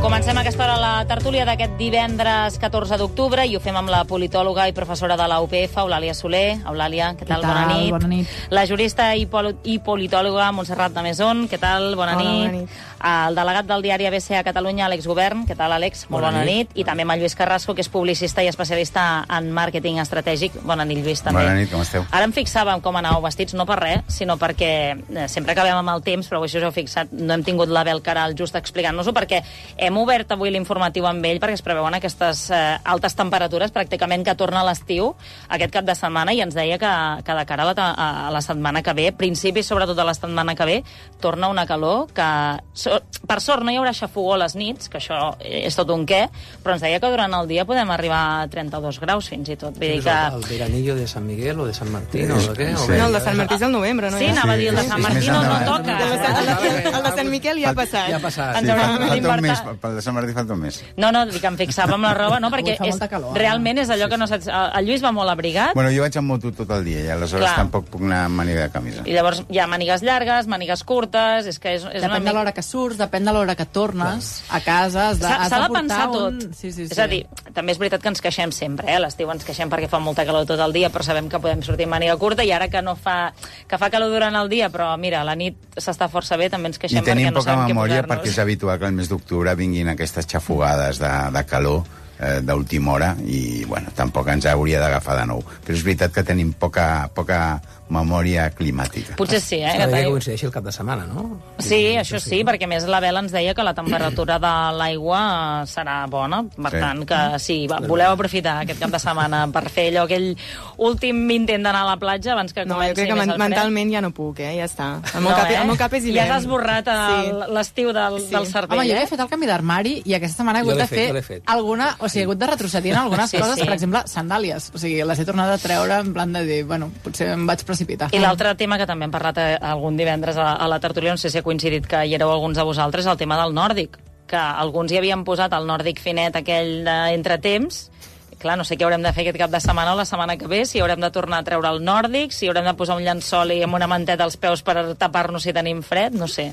Comencem a aquesta hora la tertúlia d'aquest divendres 14 d'octubre i ho fem amb la politòloga i professora de la UPF, Eulàlia Soler. Eulàlia, què tal? Bona nit. Bona nit. La jurista i politòloga Montserrat de Mesón, què tal? Bona nit. Bona nit. El delegat del diari ABC a Catalunya, Àlex Govern, què tal, Àlex? Molt bona nit. I també amb el Lluís Carrasco, que és publicista i especialista en màrqueting estratègic. Bona nit, Lluís, també. Bona nit, com esteu? Ara em fixàvem com anàveu vestits, no per res, sinó perquè sempre acabem amb el temps, però això us heu fixat, no hem tingut l'Abel Caral just explicant-nos-ho, perquè hem obert avui l'informatiu amb ell, perquè es preveuen aquestes altes temperatures, pràcticament que torna l'estiu aquest cap de setmana, i ens deia que de cara a la setmana que ve, principis sobretot de la setmana que ve, torna una calor que, per sort, no hi haurà xafogó a les nits, que això és tot un què, però ens deia que durant el dia podem arribar a 32 graus fins i tot. Vull dir que... El veranillo de San Miguel o de San Martín o de què? Sí. No, el de Sant Martí és el novembre, no? Sí, anava a dir el de Sant Martí no toca. El de Sant Miquel ja ha passat. Ja ha passat. Sí, falta un mes, pel de Sant Martí falta un mes. No, dic que em fixava amb la roba, no, perquè realment és allò que no saps... El Lluís va molt abrigat. Bueno, jo vaig amb moto tot el dia i aleshores tampoc puc anar amb màniga de camisa. I llavors hi ha mànigues llargues, mànigues curtes, és que és depèn de l'hora que surts, depèn de l'hora que tornes a casa, has de pensar tot. Sí. És a dir, també és veritat que ens queixem sempre, a l'estiu ens queixem perquè fa molta calor tot el dia, però sabem que podem sortir amb màniga curta, i ara que fa calor durant el dia, però mira, a la nit s'està força bé, també ens queixem perquè no sabem què posar-nos. I tenim poca memòria perquè és habitual que al mes d'octubre vinguin aquestes xafogades de calor d'última hora i, bueno, tampoc ens hauria d'agafar de nou. Però és veritat que tenim poca memòria climàtica. Potser sí, Cada dia que coincideixi el cap de setmana, no? Sí, això sí, perquè més la Bela ens deia que la temperatura de l'aigua serà bona, per tant que sí, voleu aprofitar aquest cap de setmana per fer allò, aquell últim intent d'anar a la platja abans que comenci més el fred. Jo crec que mentalment ja no puc, ja està. El meu cap és hivern. Ja has esborrat l'estiu del cervell. Home, jo he fet el canvi d'armari i aquesta setmana he hagut de fer alguna... O sigui, he hagut de retrocedir en algunes coses, per exemple, sandàlies. O sigui, les he tornat a treure en plan de dir, bueno, potser em vaig precipitar. I l'altre tema que també hem parlat algun divendres a la tertúlia, no sé si ha coincidit que hi éreu alguns de vosaltres, el tema del nòrdic, que alguns hi havien posat el nòrdic finet aquell d'entretemps. Clar, no sé què haurem de fer aquest cap de setmana o la setmana que ve, si haurem de tornar a treure el nòrdic, si haurem de posar un llençol i amb una manteta als peus per tapar-nos si tenim fred, no sé.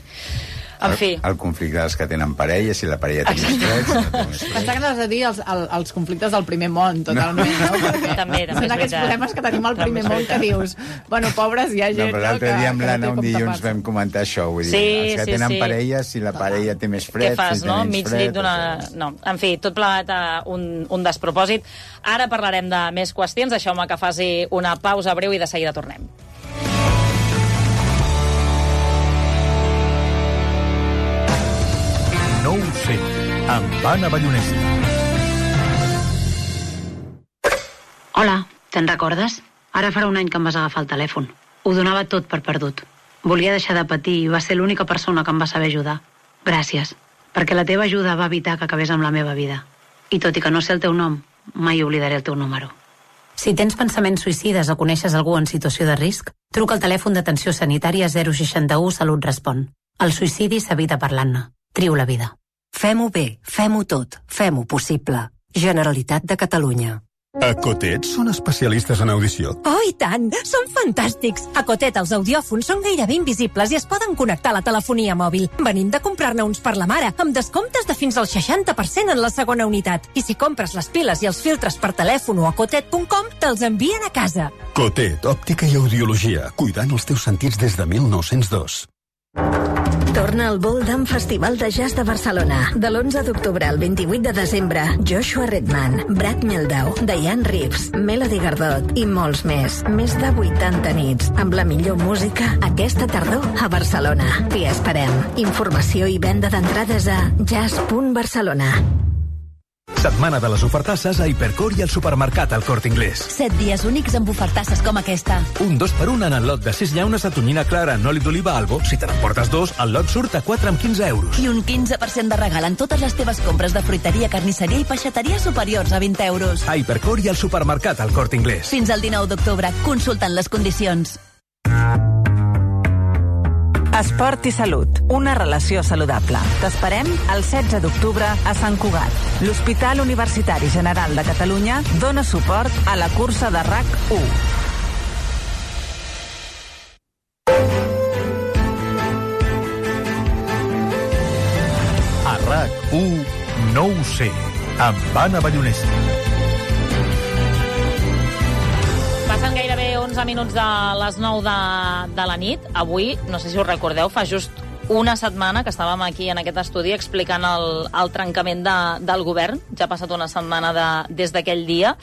En fi. El conflicte dels que tenen parella, si la parella té més fred, si no té més fred. Pensar que has de dir els conflictes del primer món, totalment, no? Perquè també són aquests problemes que tenim al primer món que dius, bueno, pobres, hi ha gent... No, però l'altre dia amb l'Anna un dilluns vam comentar això, vull dir, els que tenen parella, si la parella té més fred, què fas, si té menys fred... No, en fi, tot plegat un despropòsit. Ara parlarem de més qüestions, deixeu-me que faci una pausa breu i de seguida tornem. No ho sé. amb Anna Ballonesta. Hola, te'n recordes? Ara farà un any que em vas agafar el telèfon. Ho donava tot per perdut. Volia deixar de patir i va ser l'única persona que em va saber ajudar. Gràcies, perquè la teva ajuda va evitar que acabés amb la meva vida. I tot i que no sé el teu nom, mai oblidaré el teu número. Si tens pensaments suïcides o coneixes algú en situació de risc, truca al telèfon d'atenció sanitària 061 Salut Respon. El suïcidi s'evita parlant-ne. Triu la vida. Fem-ho bé, fem-ho tot, fem-ho possible. Generalitat de Catalunya. A Cotet són especialistes en audició. Oh, i tant! Són fantàstics! A Cotet els audiòfons són gairebé invisibles i es poden connectar a la telefonia mòbil. Venim de comprar-ne uns per la mare, amb descomptes de fins al 60% en la segona unitat. I si compres les piles i els filtres per telèfon o a cotet.com, te'ls envien a casa. Cotet, òptica i audiologia, cuidant els teus sentits des de 1902. Torna al Boldam Festival de Jazz de Barcelona. De l'11 d'octubre al 28 de desembre, Joshua Redman, Brad Mehldau, Diane Reeves, Melody Gardot i molts més. Més de 80 nits, amb la millor música aquesta tardor a Barcelona. T'hi esperem. Informació i venda d'entrades a jazz.barcelona. Setmana de les ofertasses a Hipercor i al supermercat El Corte Inglés. 7 dies únics amb ofertasses com aquesta. Un 2x1 en el lot de 6 llaunes de tonyina clara en oli d'oliva Albo. Si te n'emportes 2, el lot surt a 4 amb 15 euros. I un 15% de regal en totes les teves compres de fruiteria, carnisseria i peixateria superiors a 20 euros. A Hipercor i al supermercat El Corte Inglés. Fins al 19 d'octubre. Consultant les condicions. Esport i salut, una relació saludable. T'esperem el 16 d'octubre a Sant Cugat. L'Hospital Universitari General de Catalunya dona suport a la cursa de RAC1. A RAC1, no ho sé, amb Anna Ballonesta. Passen gairebé 11 minuts de les 9 de la nit. Avui, no sé si us recordeu, fa just una setmana que estàvem aquí en aquest estudi explicant el trencament del govern. Ja ha passat una setmana des d'aquell dia.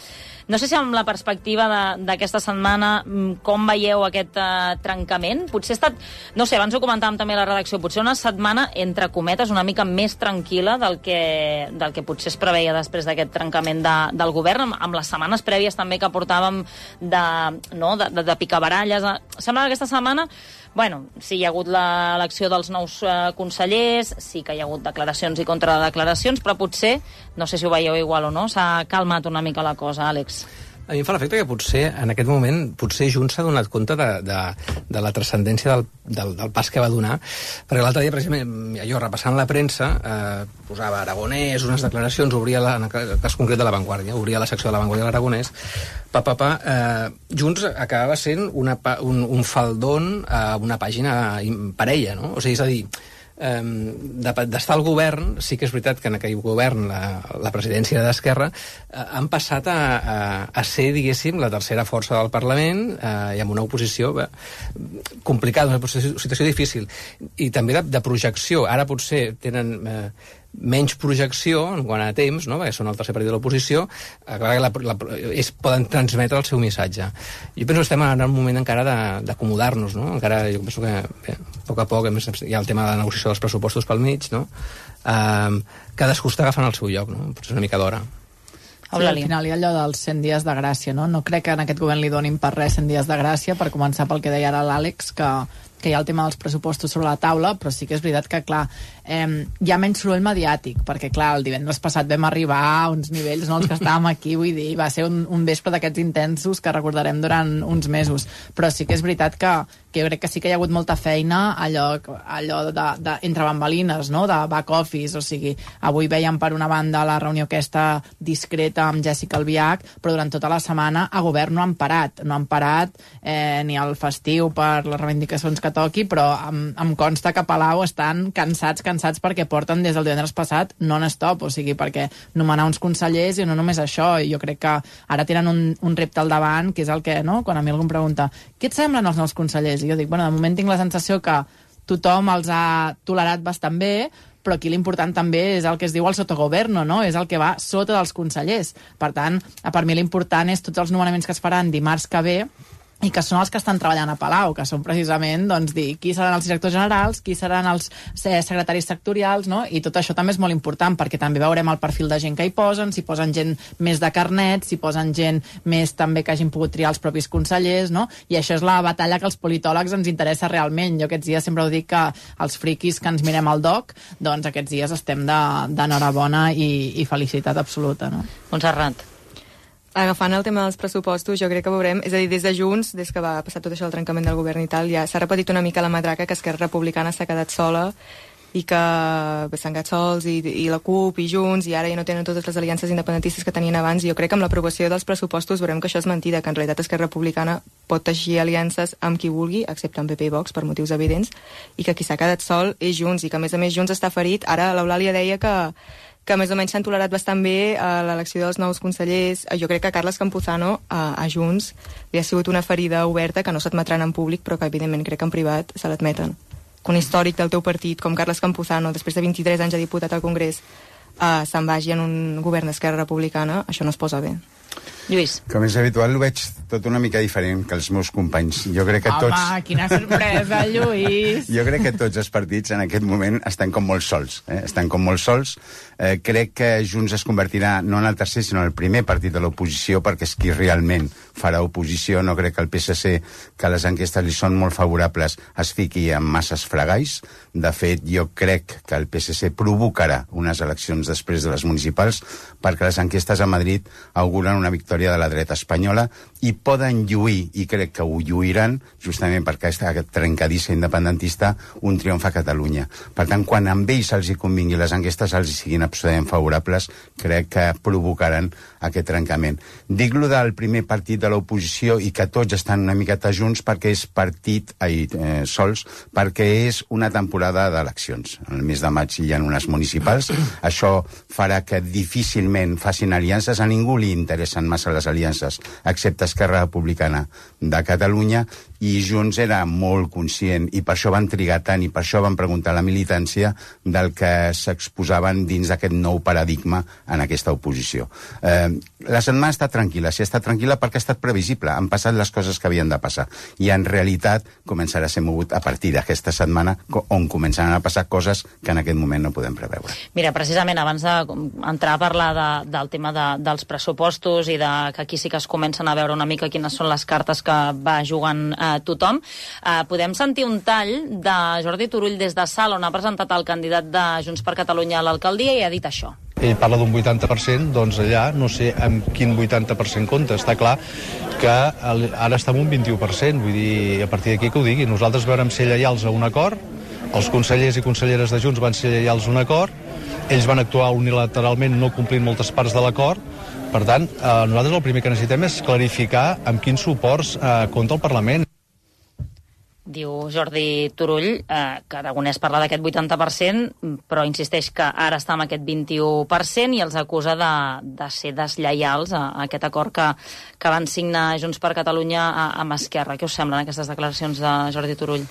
No sé si amb la perspectiva d'aquesta setmana com veieu aquest trencament. Potser ha estat, no sé, abans ho comentàvem també a la redacció, potser una setmana, entre cometes, una mica més tranquil·la del que potser es preveia després d'aquest trencament del govern, amb les setmanes prèvies també que portàvem de picabaralles. Sembla que aquesta setmana, bueno, sí, hi ha hagut l'elecció dels nous consellers, sí que hi ha hagut declaracions i contradeclaracions, però potser, no sé si ho veieu igual o no, s'ha calmat una mica la cosa, Àlex. A mi em fa l'efecte que potser, en aquest moment, potser Junts s'ha donat compte de la transcendència del pas que va donar, perquè l'altre dia, per exemple, jo repassant la premsa, posava Aragonès, unes declaracions, obria, en el cas concret de La Vanguardia, obria la secció de La Vanguardia de l'Aragonès, Junts acabava sent un faldón a una pàgina parella, no? O sigui, és a dir, d'estar al govern, sí que és veritat que en aquell govern la presidència d'Esquerra han passat a ser, diguéssim, la tercera força del Parlament i amb una oposició complicada, una situació difícil i també de projecció. Ara potser tenen menys projecció en quant a temps, no? Perquè són el tercer partit de l'oposició, poden transmetre el seu missatge. Jo penso que estem en un moment encara d'acomodar-nos, no? Encara jo penso que a poc a poc hi ha el tema de la negociació dels pressupostos pel mig, no? Cadascú està agafant el seu lloc, no? Potser és una mica d'hora. Sí, al final hi ha allò dels 100 dies de gràcia, no? No crec que en aquest govern li donin per res 100 dies de gràcia, per començar pel que deia ara l'Àlex, que hi ha el tema dels pressupostos sobre la taula, però sí que és veritat que, clar, hi ha menys soroll mediàtic, perquè, clar, el divendres passat vam arribar a uns nivells, no, els que estàvem aquí, vull dir, va ser un vespre d'aquests intensos que recordarem durant uns mesos, però sí que és veritat que jo crec que sí que hi ha hagut molta feina allò entre bambalines, no?, de back office, o sigui, avui veiem per una banda la reunió aquesta discreta amb Jessica Albiach, però durant tota la setmana a govern no han parat ni al festiu per les reivindicacions que toqui, però em consta que a Palau estan cansats perquè porten des del divendres passat non-stop, o sigui, perquè nomenar uns consellers i no només això, i jo crec que ara tenen un repte al davant, que és el que, no?, quan a mi algú em pregunta què et semblen els nous consellers? I jo dic, bueno, de moment tinc la sensació que tothom els ha tolerat bastant bé, però aquí l'important també és el que es diu el sotogoverno, no? És el que va sota dels consellers. Per tant, per mi l'important és tots els nomenaments que es faran dimarts que ve, i que són els que estan treballant a Palau, que són precisament doncs, dir qui seran els directors generals, qui seran els secretaris sectorials, no? I tot això també és molt important, perquè també veurem el perfil de gent que hi posen, si posen gent més de carnet, si posen gent més també que hagin pogut triar els propis consellers, no? I això és la batalla que els politòlegs ens interessa realment. Jo aquests dies sempre ho dic que els friquis que ens mirem al DOC, doncs aquests dies estem d'enhorabona i felicitat absoluta, no? Montserrat. Agafant el tema dels pressupostos, jo crec que veurem, és a dir, des de Junts, des que va passar tot això del trencament del govern i tal, ja s'ha repetit una mica la matraca que Esquerra Republicana s'ha quedat sola i que s'han quedat sols i la CUP i Junts i ara ja no tenen totes les aliances independentistes que tenien abans i jo crec que amb l'aprovació dels pressupostos veurem que això és mentida, que en realitat Esquerra Republicana pot teixir aliances amb qui vulgui, excepte amb PP i Vox per motius evidents, i que qui s'ha quedat sol és Junts i que a més Junts està ferit. Ara l'Eulàlia deia que més o menys s'han tolerat bastant bé a l'elecció dels nous consellers. Jo crec que Carles Campuzano a Junts li ha sigut una ferida oberta que no s'admetran en públic, però que evidentment crec que en privat se l'admeten. Que un històric del teu partit com Carles Campuzano, després de 23 anys de diputat al Congrés, se'n vagi en un govern d'Esquerra Republicana, això no es posa bé. Lluís. Com és habitual, ho veig tot una mica diferent que els meus companys. Jo crec que tots... Home, quina sorpresa, Lluís! Jo crec que tots els partits en aquest moment estan com molt sols. Estan com molt sols. Crec que Junts es convertirà no en el tercer, sinó en el primer partit de l'oposició, perquè és qui realment farà oposició. No crec que el PSC, que les enquestes li són molt favorables, es fiqui en masses fregalls. De fet, jo crec que el PSC provocarà unes eleccions després de les municipals, perquè les enquestes a Madrid auguren una victòria de la dreta espanyola i poden lluir, i crec que ho lluiran, justament perquè aquest trencadissa independentista, un triomf a Catalunya. Per tant, quan amb ells els hi convingui les enquestes els hi siguin absolutament favorables, crec que provocaran aquest trencament. Dic-lo del primer partit de l'oposició i que tots estan una miqueta junts perquè és sols, perquè és una temporada d'eleccions. El mes de maig hi ha unes municipals. Això farà que difícilment facin aliances. A ningú li interessen massa les aliances, excepte Esquerra Republicana de Catalunya, i Junts era molt conscient, i per això van trigar tant, i per això van preguntar a la militància del que s'exposaven dins d'aquest nou paradigma en aquesta oposició. La setmana està tranquil·la, si està tranquil·la perquè ha estat previsible, han passat les coses que havien de passar, i en realitat començarà a ser mogut a partir d'aquesta setmana on començaran a passar coses que en aquest moment no podem preveure. Mira, precisament abans d'entrar a parlar del tema dels pressupostos i que aquí sí que es comencen a veure una mica quines són les cartes que va jugant tothom, podem sentir un tall de Jordi Turull des de Salt, on ha presentat el candidat de Junts per Catalunya a l'alcaldia i ha dit això. Ell parla d'un 80%, doncs allà no sé amb quin 80% compta. Està clar que ara està en un 21%, vull dir, a partir d'aquí que ho digui. Nosaltres vàrem ser lleials a un acord, els consellers i conselleres de Junts van ser lleials a un acord, ells van actuar unilateralment no complint moltes parts de l'acord. Per tant, nosaltres el primer que necessitem és clarificar amb quins suports compta el Parlament. Diu Jordi Turull que Aragonès parla d'aquest 80%, però insisteix que ara està amb aquest 21% i els acusa de ser deslleials a aquest acord que van signar Junts per Catalunya amb Esquerra. Què us semblen aquestes declaracions de Jordi Turull?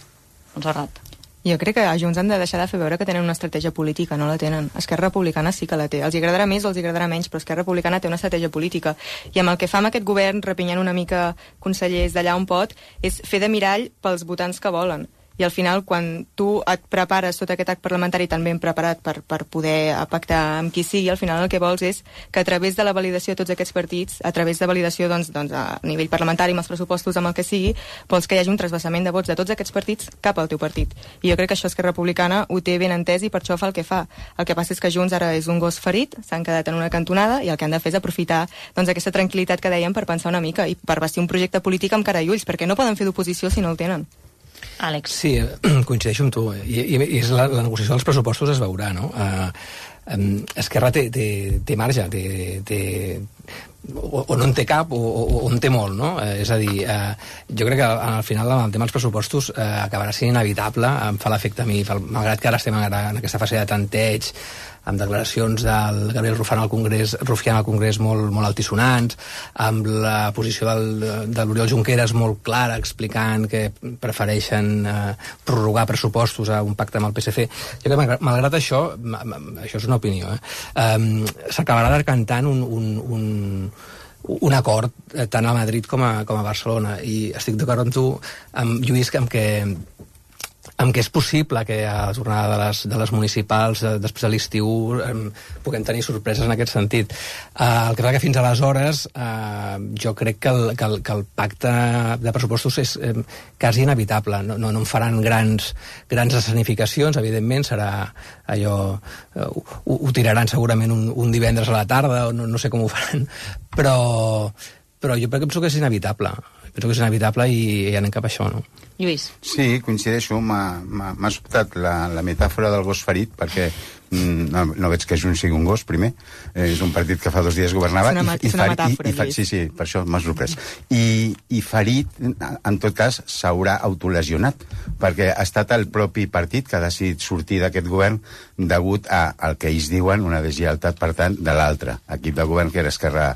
Montserrat. Jo crec que a Junts han de deixar de fer veure que tenen una estratègia política, no la tenen. Esquerra Republicana sí que la té. Els agradarà més o els agradarà menys, però Esquerra Republicana té una estratègia política. I amb el que fa amb aquest govern, repinyant una mica consellers d'allà on pot, és fer de mirall pels votants que volen. I al final, quan tu et prepares tot aquest acte parlamentari tan ben preparat per poder pactar amb qui sigui, al final el que vols és que a través de la validació de tots aquests partits, a través de validació doncs, a nivell parlamentari amb els pressupostos, amb el que sigui, vols que hi hagi un trasbassament de vots de tots aquests partits cap al teu partit. I jo crec que això Esquerra Republicana ho té ben entès i per això fa el que fa. El que passa és que Junts ara és un gos ferit, s'han quedat en una cantonada i el que han de fer és aprofitar doncs, aquesta tranquil·litat que dèiem per pensar una mica i per vestir un projecte polític amb cara i ulls, perquè no poden fer d'oposició si no el tenen. Àlex. Sí, coincideixo amb tu. I és la negociació dels pressupostos es veurà, no? Esquerra té marge, o no en té cap o en té molt, no? És a dir, jo crec que al final el tema dels pressupostos acabarà sent inevitable, em fa l'efecte a mi, malgrat que ara estem en aquesta fase de tanteig, amb declaracions del Gabriel Rufián al Congrés molt altisonants, amb la posició de l'Oriol Junqueras molt clara, explicant que prefereixen prorrogar pressupostos a un pacte amb el PSC. Jo crec que, malgrat això és una opinió, s'acabarà decantant un acord tant a Madrid com a Barcelona, i estic d'acord amb tu, amb Lluís, amb què és possible que a la jornada de les municipals després de l'estiu puguem tenir sorpreses en aquest sentit. El que passa que fins aleshores jo crec que el pacte de pressupostos és quasi inevitable. No en faran grans escenificacions, evidentment, serà allò... Ho tiraran segurament un divendres a la tarda, o no sé com ho faran, però jo penso que és inevitable. Penso que és inevitable i anem cap a això, no? Lluís. Sí, coincideixo. M'ha sobtat la metàfora del gos ferit, perquè no veig que Junts sigui un gos, primer. És un partit que fa 2 dies governava. És una metàfora, Lluís. Sí, per això m'ha sorprès. I ferit, en tot cas, s'haurà autolesionat, perquè ha estat el propi partit que ha decidit sortir d'aquest govern degut al que ells diuen una deslleialtat, per tant, de l'altre equip de govern, que era Esquerra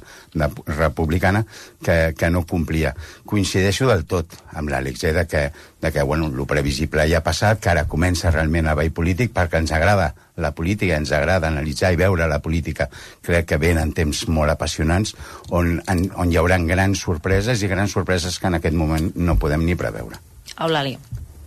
Republicana, que no complia. Coincideixo del tot amb l'Àlex, de que bueno, el previsible ja ha passat, que ara comença realment el ball polític, perquè ens agrada la política, ens agrada analitzar i veure la política. Crec que venen temps molt apassionants on hi haurà grans sorpreses, i grans sorpreses que en aquest moment no podem ni preveure. Eulàlia.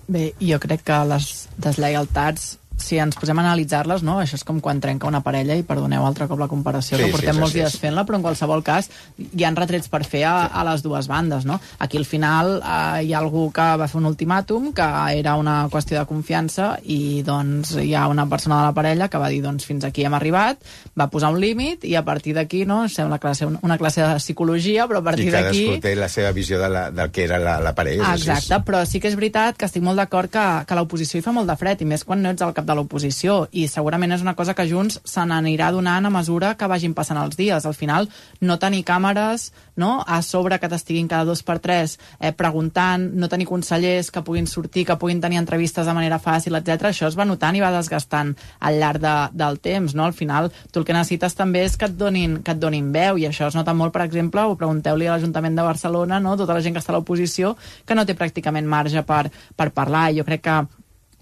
Bé, jo crec que les deslleialtats, si ens posem a analitzar-les, no? Això és com quan trenca una parella, i perdoneu altre cop la comparació, que portem molts dies fent-la, però en qualsevol cas hi ha retrets per fer a les dues bandes, no? Aquí al final hi ha algú que va fer un ultimàtum, que era una qüestió de confiança, i doncs hi ha una persona de la parella que va dir, doncs fins aquí hem arribat, va posar un límit, i a partir d'aquí, no? Sembla una classe de psicologia, però a partir d'aquí... I cadascú té la seva visió del que era la parella. Exacte, però sí que és veritat que estic molt d'acord que l'oposició hi fa molt de fred, i més quan no ets al cap de l'oposició, i segurament és una cosa que Junts se n'anirà donant a mesura que vagin passant els dies. Al final, no tenir càmeres, no?, a sobre que t'estiguin cada 2 per 3 preguntant, no tenir consellers que puguin sortir, que puguin tenir entrevistes de manera fàcil, etc. Això es va notant i va desgastant al llarg del temps, no? Al final, tu el que necessites també és que et donin veu, i això es nota molt, per exemple, ho pregunteu-li a l'Ajuntament de Barcelona, no?, tota la gent que està a l'oposició, que no té pràcticament marge per parlar, i jo crec que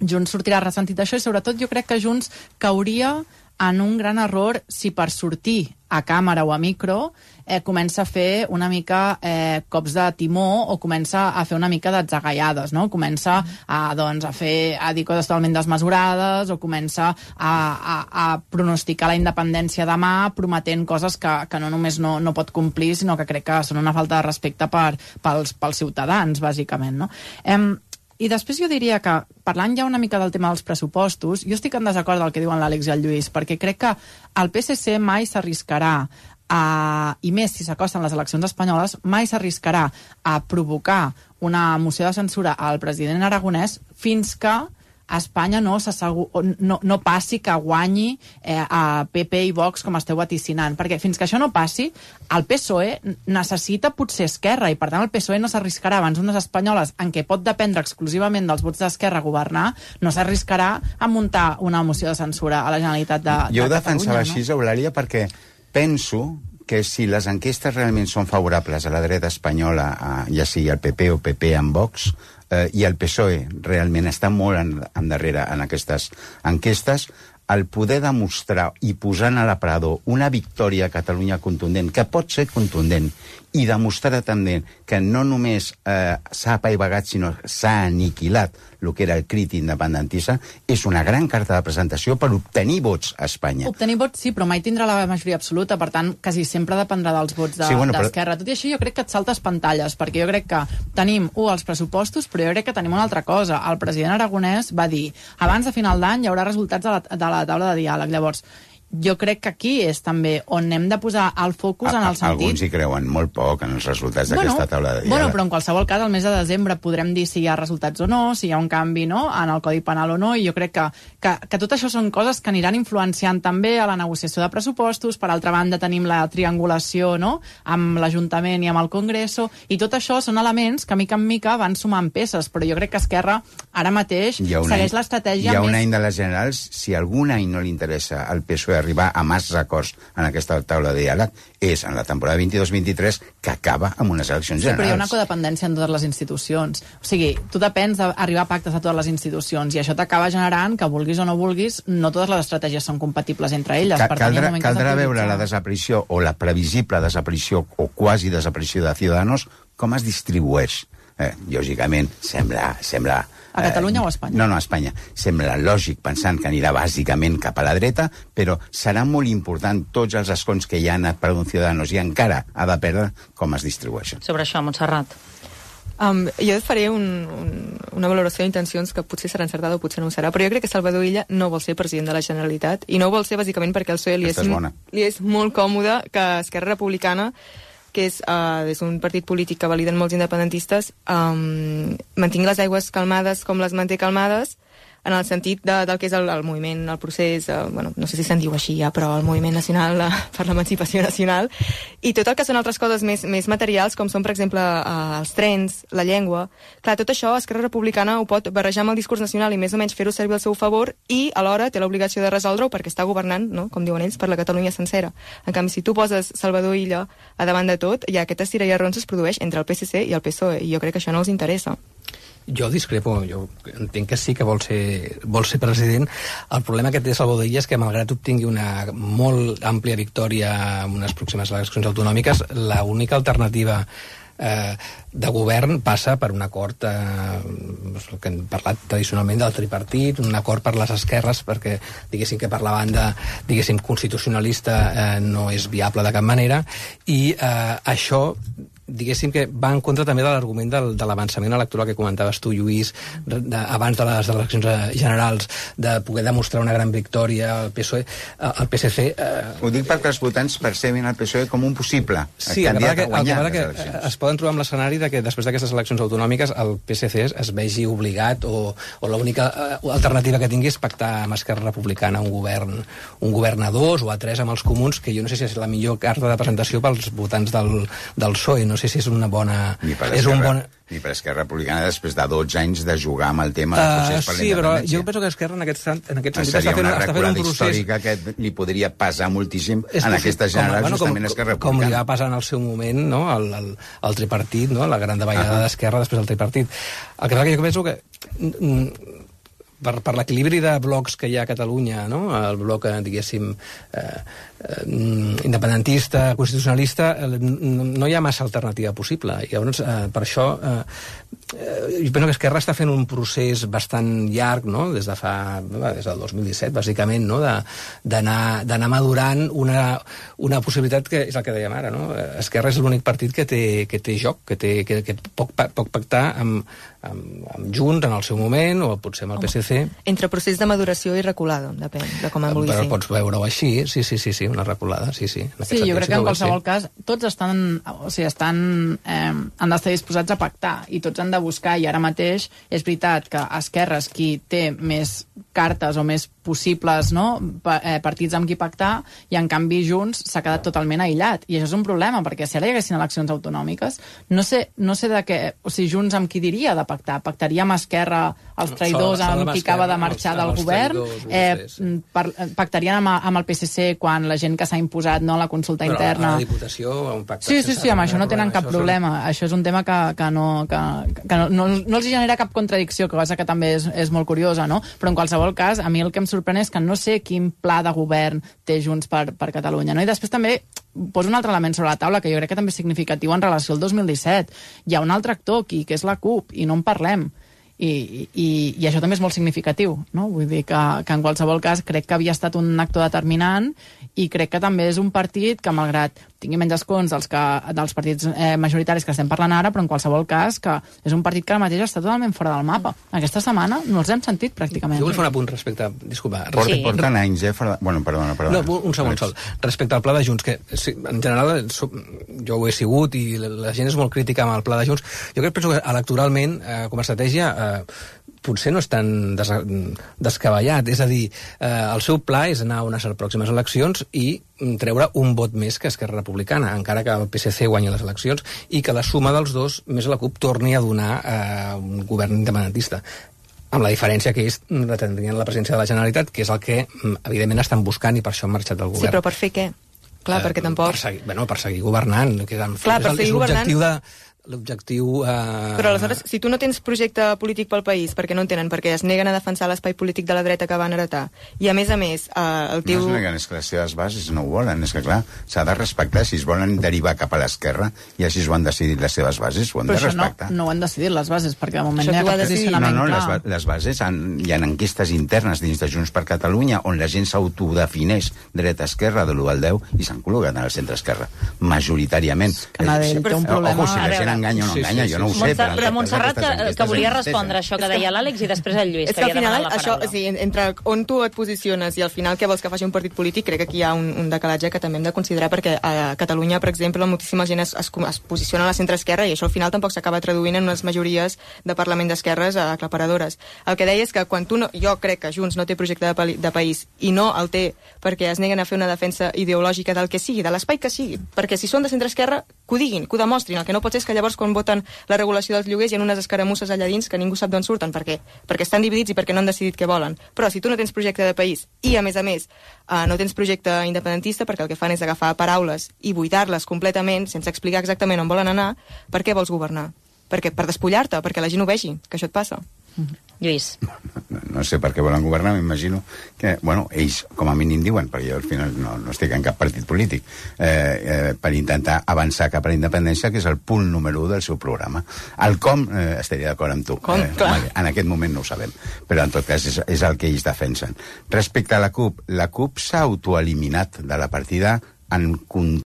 Junts sortirà ressentit d'això, i sobretot jo crec que Junts cauria en un gran error si per sortir a càmera o a micro comença a fer una mica cops de timó, o comença a fer una mica d'atzagaiades, no? Comença a dir coses totalment desmesurades, o comença a pronosticar la independència demà, prometent coses que no només no pot complir, sinó que crec que són una falta de respecte pels ciutadans, bàsicament, no? I després jo diria que, parlant ja una mica del tema dels pressupostos, jo estic en desacord del que diuen l'Àlex i el Lluís, perquè crec que el PSC mai s'arriscarà, i més si s'acosten les eleccions espanyoles, mai s'arriscarà a provocar una moció de censura al president aragonès fins que a Espanya no passi que guanyi a PP i Vox, com esteu vaticinant. Perquè fins que això no passi, el PSOE necessita potser Esquerra, i per tant el PSOE no s'arriscarà abans unes espanyoles en què pot dependre exclusivament dels vots d'Esquerra a governar, no s'arriscarà a muntar una moció de censura a la Generalitat de Catalunya. Jo ho defensava així, Eulàlia, perquè penso que si les enquestes realment són favorables a la dreta espanyola, ja sigui el PP o PP amb Vox, i el PSOE realment està molt endarrere en aquestes enquestes, el poder demostrar i posar a l'aparador una victòria a Catalunya contundent, que pot ser contundent, i demostrar també que no només s'ha apaivagat, sinó s'ha aniquilat el que era el crit independentista, és una gran carta de presentació per obtenir vots a Espanya. Obtenir vots sí, però mai tindrà la majoria absoluta, per tant, quasi sempre dependrà dels vots d'Esquerra. Tot i així, jo crec que et saltes pantalles, perquè jo crec que tenim, els pressupostos, però jo crec que tenim una altra cosa. El president aragonès va dir, abans de final d'any hi haurà resultats de la taula de diàleg. Llavors, jo crec que aquí és també on hem de posar el focus en el sentit... Alguns hi creuen molt poc en els resultats d'aquesta taula de diàleg. Bueno, però en qualsevol cas, al mes de desembre podrem dir si hi ha resultats o no, si hi ha un canvi en el Codi Penal o no, i jo crec que tot això són coses que aniran influenciant també a la negociació de pressupostos. Per altra banda, tenim la triangulació, no?, amb l'Ajuntament i amb el Congreso, i tot això són elements que mica en mica van sumant peces, però jo crec que Esquerra ara mateix segueix l'estratègia més... Hi ha un any de les generals, si algun any no li interessa al PSOE d'arribar a massa acords en aquesta taula de diàleg és en la temporada 22-23, que acaba amb unes eleccions generals. Però hi ha una codependència en totes les institucions. O sigui, tu depens d'arribar a pactes a totes les institucions i això t'acaba generant que, vulguis o no vulguis, no totes les estratègies són compatibles entre elles. Caldrà veure la desaparició o la previsible desaparició o quasi desaparició de Ciudadanos com es distribueix. Lògicament, sembla... A Catalunya o a Espanya? No, a Espanya. Sembla lògic pensant que anirà bàsicament cap a la dreta, però serà molt important tots els escons que ja han anat per un Ciudadanos i encara ha de perdre com es distribueixen. Sobre això, Montserrat. Jo et faré una valoració d'intencions que potser serà encertada o potser no ho serà, però jo crec que Salvador Illa no vol ser president de la Generalitat i no ho vol ser bàsicament perquè al PSOE li és molt còmode que Esquerra Republicana, que és un partit polític que validen molts independentistes, mantingui les aigües calmades com les manté calmades, en el sentit del que és el moviment, el procés, no sé si se'n diu així ja, però el moviment nacional per l'emancipació nacional, i tot el que són altres coses més materials, com són, per exemple, els trens, la llengua. Clar, tot això Esquerra Republicana ho pot barrejar amb el discurs nacional i més o menys fer-ho servir al seu favor i alhora té l'obligació de resoldre-ho perquè està governant, no? Com diuen ells, per la Catalunya sencera. En canvi, si tu poses Salvador Illa a davant de tot, ja aquest estira i arrons es produeix entre el PSC i el PSOE, i jo crec que això no els interessa. Jo discrepo, jo entenc que sí que vol ser president. El problema que té Salvador Illa és que, malgrat obtingui una molt àmplia victòria en unes pròximes eleccions autonòmiques, l'única alternativa de govern passa per un acord que hem parlat tradicionalment del tripartit, un acord per les esquerres, perquè diguéssim que per la banda constitucionalista no és viable de cap manera, i això diguéssim que va en contra també de l'argument de l'avançament electoral que comentaves tu, Lluís, abans de les eleccions generals, de poder demostrar una gran victòria al PSOE, al PSC... Ho dic perquè els votants percebin el PSOE com un possible candidat a guanyar les eleccions. Es poden trobar amb l'escenari de que després d'aquestes eleccions autonòmiques el PSC es vegi obligat o l'única alternativa que tingui és pactar amb Esquerra Republicana un govern a dos o a tres amb els comuns, que jo no sé si és la millor carta de presentació pels votants del PSOE, no sé si és una bona... Ni per Esquerra Republicana després de 12 anys de jugar amb el tema del procés per la independència. Sí, però jo penso que Esquerra en aquest sentit està fent un procés històrica que li podria passar moltíssim en aquestes generals justament Esquerra Republicana. Com li va passar en el seu moment, no?, el tripartit, no?, la gran davallada d'Esquerra després del tripartit. El que passa que jo penso que per l'equilibri de blocs que hi ha a Catalunya, no?, el bloc, diguéssim, independentista, constitucionalista, no hi ha massa alternativa possible. I llavors, per això, jo penso que Esquerra està fent un procés bastant llarg, no?, des del 2017, bàsicament, no?, d'anar madurant una possibilitat que és el que dèiem ara, no? Esquerra és l'únic partit que té joc, que pot pactar amb Junts en el seu moment, o potser amb el PSC. Entre procés de maduració i reculada, depèn de com en vulgui fer. Però pots veure-ho així, sí, una reculada, sí. Sí, jo crec que en qualsevol cas tots han d'estar disposats a pactar i tots han de buscar, i ara mateix és veritat que Esquerra és qui té més cartes o més possibles, no?, partits amb qui pactar, i en canvi Junts s'ha quedat totalment aïllat, i això és un problema, perquè si ara hi haguessin eleccions autonòmiques, no sé de què, o sigui, Junts amb qui diria de pactaria amb Esquerra els traïdors amb qui acaba de marxar del govern, pactarien amb el PSC quan la gent que s'ha imposat, no, la consulta interna. Però a la Diputació un pacte... Sí, amb això no tenen cap problema. Això és un tema que no els genera cap contradicció, cosa que també és molt curiosa, no? Però en qualsevol cas, a mi el que em sorprèn és que no sé quin pla de govern té Junts per Catalunya, no? I després també poso un altre element sobre la taula que jo crec que també és significatiu en relació al 2017. Hi ha un altre actor aquí, que és la CUP, i no en parlem. I això també és molt significatiu, no? Vull dir que en qualsevol cas crec que havia estat un actor determinant, i crec que també és un partit que, malgrat tingui menys escons dels partits majoritaris que estem parlant ara, però en qualsevol cas que és un partit que ara mateix està totalment fora del mapa. Aquesta setmana no els hem sentit pràcticament. Jo vull fer un apunt respecte... Disculpa. Porten anys, Bueno, perdona. No, un segon sol. Respecte al pla de Junts, que en general jo ho he sigut i la gent és molt crítica amb el pla de Junts. Jo penso que electoralment, com a estratègia, potser no és tan descabellat. És a dir, el seu pla és anar a unes pròximes eleccions i treure un vot més que Esquerra Republicana, encara que el PSC guanyi les eleccions, i que la suma dels dos, més la CUP, torni a donar un govern independentista. amb la diferència que ells retindrien la presidència de la Generalitat, que és el que, evidentment, estan buscant i per això han marxat del govern. Sí, però per fer què? Clar, perquè tampoc... Per seguir governant. Que clar, per seguir governant... L'objectiu... Però aleshores, si tu no tens projecte polític pel país, perquè no en tenen, perquè es neguen a defensar l'espai polític de la dreta que van heretar, i a més, el teu... No es neguen, és que les seves bases no ho volen, és que clar, s'ha de respectar, si es volen derivar cap a l'esquerra, i així ho han decidit les seves bases, ho han de respectar. Però no ho han decidit les bases, perquè de moment hi ha cap posicionament clar. Les bases, hi ha enquestes internes dins de Junts per Catalunya, on la gent s'autodefineix dreta-esquerra de l'1 al 10, i s'han col·locat en el centre-esquerra, majoritàriament. Que Nadell té un problema... Ojo, si la gent enganya o no enganya, jo no ho sé. Montserrat, que volia respondre això que deia l'Àlex i després el Lluís. És que al final, això, entre on tu et posiciones i al final què vols que faci un partit polític, crec que aquí hi ha un decalatge que també hem de considerar, perquè a Catalunya, per exemple, moltíssima gent es posiciona a la centre-esquerra i això al final tampoc s'acaba traduint en unes majories de Parlament d'esquerres aclaparadores. El que deia és que quan jo crec que Junts no té projecte de país i no el té perquè es neguen a fer una defensa ideològica del que sigui, de l'espai que sigui, perquè si són de centre-esquerra, que ho diguin, que ho demostrin. El que no pot ser és que llavors quan voten la regulació dels lloguers hi ha unes escaramusses allà dins que ningú sap d'on surten, perquè estan dividits i perquè no han decidit què volen. Però si tu no tens projecte de país i, a més, no tens projecte independentista, perquè el que fan és agafar paraules i buidar-les completament, sense explicar exactament on volen anar, per què vols governar? Per despullar-te, perquè la gent ho vegi, que això et passa. Lluís. No sé per què volen governar, m'imagino que, ells com a mínim diuen, perquè jo al final no estic en cap partit polític, per intentar avançar cap a la independència, que és el punt número 1 del seu programa. El com, estaria d'acord amb tu. En aquest moment no ho sabem, però en tot cas és el que ells defensen. Respecte a la CUP s'ha autoeliminat de la partida en